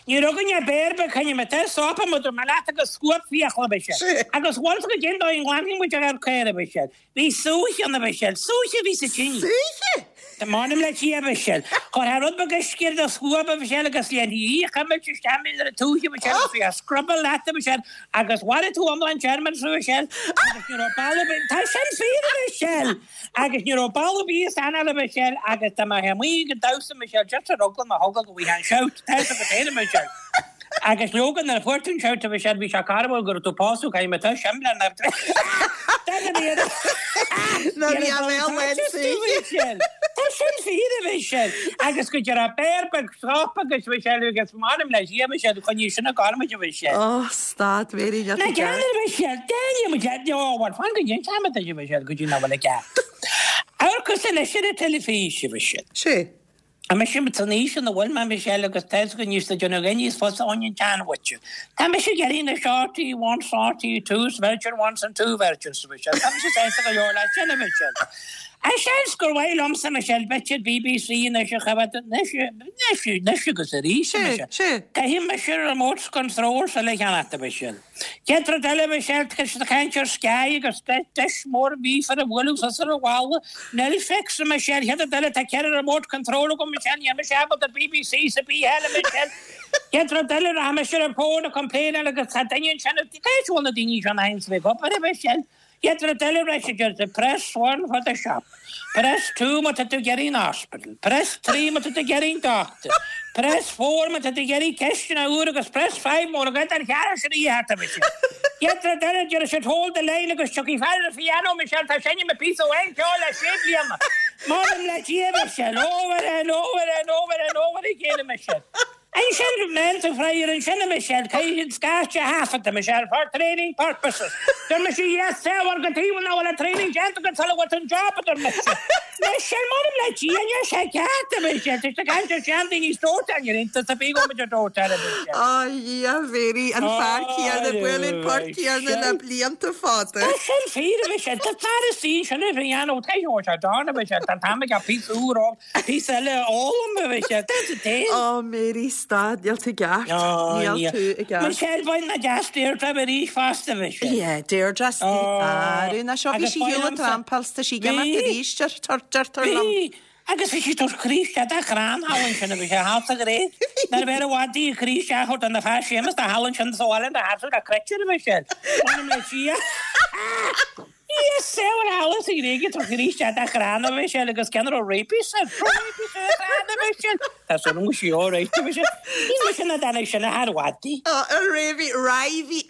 Ní raibh againne ach beár beag caithfidh mé tar sóip a dúirt mé leat agus scuab fiacal a Mhichelle. Agus bhfuil 'fhios agat goidé an dóigh a nglanfaidh muid ár carr a Mhichelle. Bhí súiche ann a Mhichelle. Súiche a bhí sa tine. Súiche? M'anam le Dia a Mhichelle. Chuirfeá rud beag uisce ar do scuab a Mhichelle agus léimfí í a chuimilt isteach ar an tsúiche a Mhichelle agus bhí a scruball leat a Mhichelle agus mharaigh tú iomlán germs a Mhichelle agus ní raibh bail ar bith. Tá sin fíor a Mhichelle! Agus ní raibh bail ar bith san anáil a Mhichelle agus dá mbeifeá amuigh ag an damhsa Michelle just ar eagla na heagla go bhfaighfeá an shout tá 'fhios agat féin a Michelle. Agus leoga nuair a fuair tú an shout a Mhichelle bhí sé carbhal go raibh tú pósadh caithfidh mé tá sin le na Ná bhí a bhéal len súiche. Tá sin fíor a Mhichelle agus go deireadh beár beag sóip agus Michelle agus m'anam le Dia Michelle choinnigh sin ag gairmid a Mhichelle. Ó stad Mary níl Na tú ceart. ceann a Mhichelle déanfaidh muid é ó bhuel fan go ndéanfaidh muid é a Mhichelle go dtí nach bhfuil i gceart. Amharcas anois ar an teilifís a Mhichelle. Sé. Tá mise san aois ina bhfuil mé a Mhichelle agus tá 'fhios agat níos le déanamh againn níos fusa ón an tseanbhuite. Tá mise ag iarraidh na RTÉ ones, RTÉ twos, Virgin ones and two virgins a Mhichelle. Tá mise sásta go leor leis sin a Mhichelle. Ach seans gur mhaith liomsa Michelle b'fhéidir BBC anois a choimhéad anois, anois, anois agus arís a Sé, Michelle. sé. Caithfidh mise remote control eile a cheannacht a Mhichelle. Chéad rud eile, Michelle, tá siad ag caint ar Sky agus deis mór mhíofar a bhualadh suas ar an bhalla. Netflix, a Michelle, chéad rud eile, tá 4 remote control agam, Michelle, níl mise ábalta BBC is a bith eile, Michelle. Chéad rud eile, rachaidh mise ar an bhfón ag complain agus tá duine ansin, cá bhfuil na daoine seo na hAinsley ag obair, a Michelle? Chéad rud eile, raibh siad ar press one for the shop, press two má tá tú ag iarraidh an hospital, press 3 má tá tú ag iarraidh an doctor, press 4 má tá tú ag iarraidh ceisteanna úr agus press 5 mura gcuid den cheathrú sin a dhícheart a Michelle. Chéad rud eile, deir siad hold the line agus tiocfaidh fear ar an phiano, Michelle, tá seinm a píosa amháin ceoil le sé bliana. M'anam le Dia, Michelle, over and over and over and over again, a Michelle. Ansin, mheall tú fraoch ansin a Michelle, caithfidh siad scairte a thaifeadta, Michelle, for training purposes. Deir mise yes sir, bhuel go taobh nach bhfuil an training déanta agat sula bhfuil tú an job, a deir mise. Michelle, m'anam le Dia, níl sé ceart, a Michelle, tá siad ag caint ar seandaoine is dóiteán, níl iontas ar bith go bhfuil muid ar dóiteán, a Michelle. Á Dhia, Mhéirí, an fear céanna, bualadh an port céanna le blianta fada. Tá sin fíor, a Michelle, tá fear istigh ansin ar an piano, tá sé dána, a Michelle, tá an t-am aige píosa úr a Píosa eile a fhoghlaim a Mhichelle. That's the thing. Ó Mary, stad, níl tú i gceart. Níl tú i gceart. Michelle, bain na deas Deirdre arís fosta, Michelle. Yeah, Deirdre, arú, ná seo, bhí sí ar shiúl ag trampáil, tá sí ag imeacht arís, deirtear liom. Bhí. Agus bhí sí ag tabhairt croí isteach dá chrann thall ansin a bhí sé thall sa Ghréig. Nuair a bheir i bhfad di a chroí isteach a thabhairt do na fear Séamus do thall ansin sa bhaile ina sheasamh le cruit air a bhí sé. M'anam le Dia. Dia saor thall sa Ghréig ag tabhairt croí isteach dá chrann a bhí sé agus ceann a raibh rabies air. Rabies ar a chrann a bhí sé. Tá súil agam go sí alright a bhí sé. Ní mise ná dáinig sin a thar bhfad di. Rabies,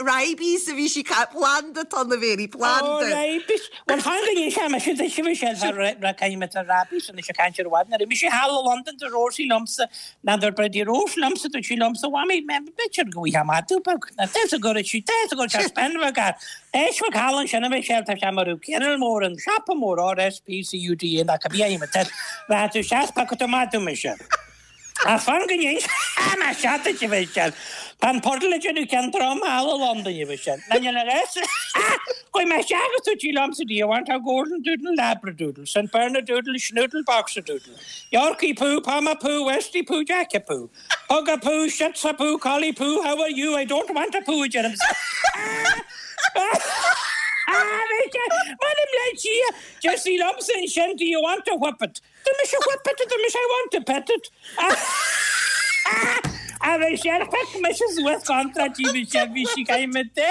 rabies a bhí sí planda tá na bhéirí planda. Ó rabies. Bhuel, fan go n-inseoidh mise duit, a Mhichelle, fá caithfidh mé rabies anois ag caint ar bhfad. Nuair a bhí mise thall i Londain dúirt Rosie liomsa, ná dúirt Bridie Rose liomsa, dúirt sí liomsa, Mhamaí, b'fhéidir go bhfaighfeá madadh beag. Ná tá a fhios go raibh sí, tá a fhios go raibh sé spin bheag air. Éist bheag thall ansin, a Mhichelle, tá sé mar raibh kennel mór, an siopa mór, RSPCUDA, ná cibé ainm atá air. Rachaidh tú isteach is piocfaidh tú madadh, mise. Ach fan go n-inseoidh mise duit, a Mhichelle. Tá an pudle ag déanamh ceann trom thall i Londain, a Mhichelle. Ná níl a fhios. Chuaigh mé isteach agus dúirt sí liomsa, Do you want a Golden Doodle, Labradoodle, St Bernadoodle, Schnoodle, Boxer Doodle, Yorkie Poo, Pomapoo, Westie Poo, Jackapoo, Pugapoo, Shitsapoo, Collie Poo, How are you, I don't want a poo, a deirimse. M'anam le Dia, deir sí liomsa ansin, Do you want a whippet? Deir mise whippet a deir mise I want to pet it. A Mhichelle, phioc mise suas contráirt í Michelle, bhí sí caithfidh mé de.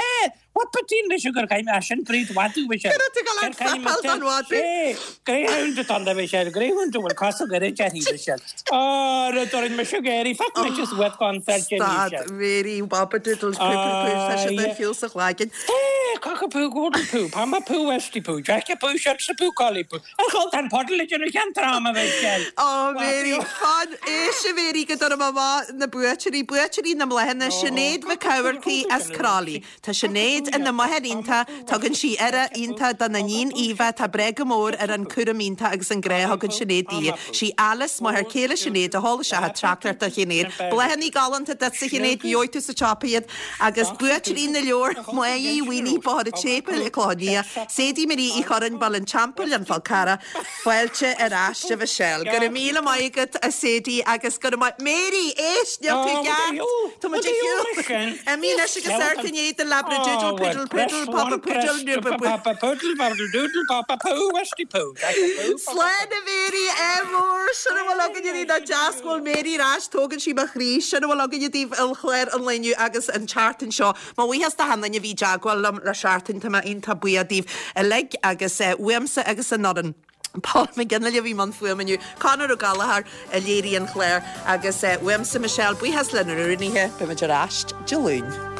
Whippetín mise gur caithfidh mé, sin breed mhadadh Michelle. Cur tú go lean fuipeáil don mhadadh. Sé, greyhound atá ann Michelle, greyhound a bhfuil cosa gairid uirthi Michelle. Á, rud orainn mise ag éirí, phioc mise suas contráirt í Stad, Michelle. Mary, Wabadoodles, poo poo poo, tá siad ar shiúl sa chloigeann. Sé, cockapoo, golden poo, pomapoo, westie poo, jackapoo, shitsapoo, collie poo. A chol, tá an pudle ag déanamh ceann trom, a Mhichelle. Ó, Mary, fan, éist a Mhary go dtabharfaidh mé amach na buaiteoirí, buaiteoirí na mbláthanna, Sinéad Mhic Eamharcaigh as Crolly. Tá Sinéad ina máthair iontach, tugann sí aire iontach dona níon Aoibhe, tá breá go mór ar an cúram iontach agus an grá a thugann Sinéad di. Sí Alice, máthair céile Sinéad, a sheol isteach an teachtaireacht do Shinéad. Bláthanna galánta duitse Shinéad, gheobhaidh tú sa tsiopa iad. Agus buaiteoirí na leabhar, Máire Uí Mhaonaigh, Bóthar an tSéipéil, An Clochán Liath, Sadie Marie Uí Churráin, Baile an Teampaill, An Fál Carrach, Fáilte ar ais a Mhichelle. Go raibh míle maith agat a Sadie agus go raibh maith Mary, éist, níl tú i gceart. Tá muid ar shiúl. Imigh anois agus amharc i ndiaidh do labradoodle poodle poodle papa poodle nooba boo. Papa poodle poodle doodle papa poo westie poo jackapoo papa Slán a Mhary, ádh mór, sin a bhfuil againne daoibh nach deas go bhfuil Mary ar ais, tógann sí mo chroí, sin a bhfuil againne daoibh ar chlár an lae inniu agus an tseachtain seo. Mo bhuíochas d'achan duine a bhí i dteagmháil liom le seachtain, tá mé iontach buíoch daoibh uilig agus uaimse agus an fhoireann. Paul McGinley a bhí i mbun fuaime inniu, Conor Ó Gallchóir a léirigh an clár agus uaimse Michelle, buíochas lenár rúnaithe, beimid ar ais Dé Luain.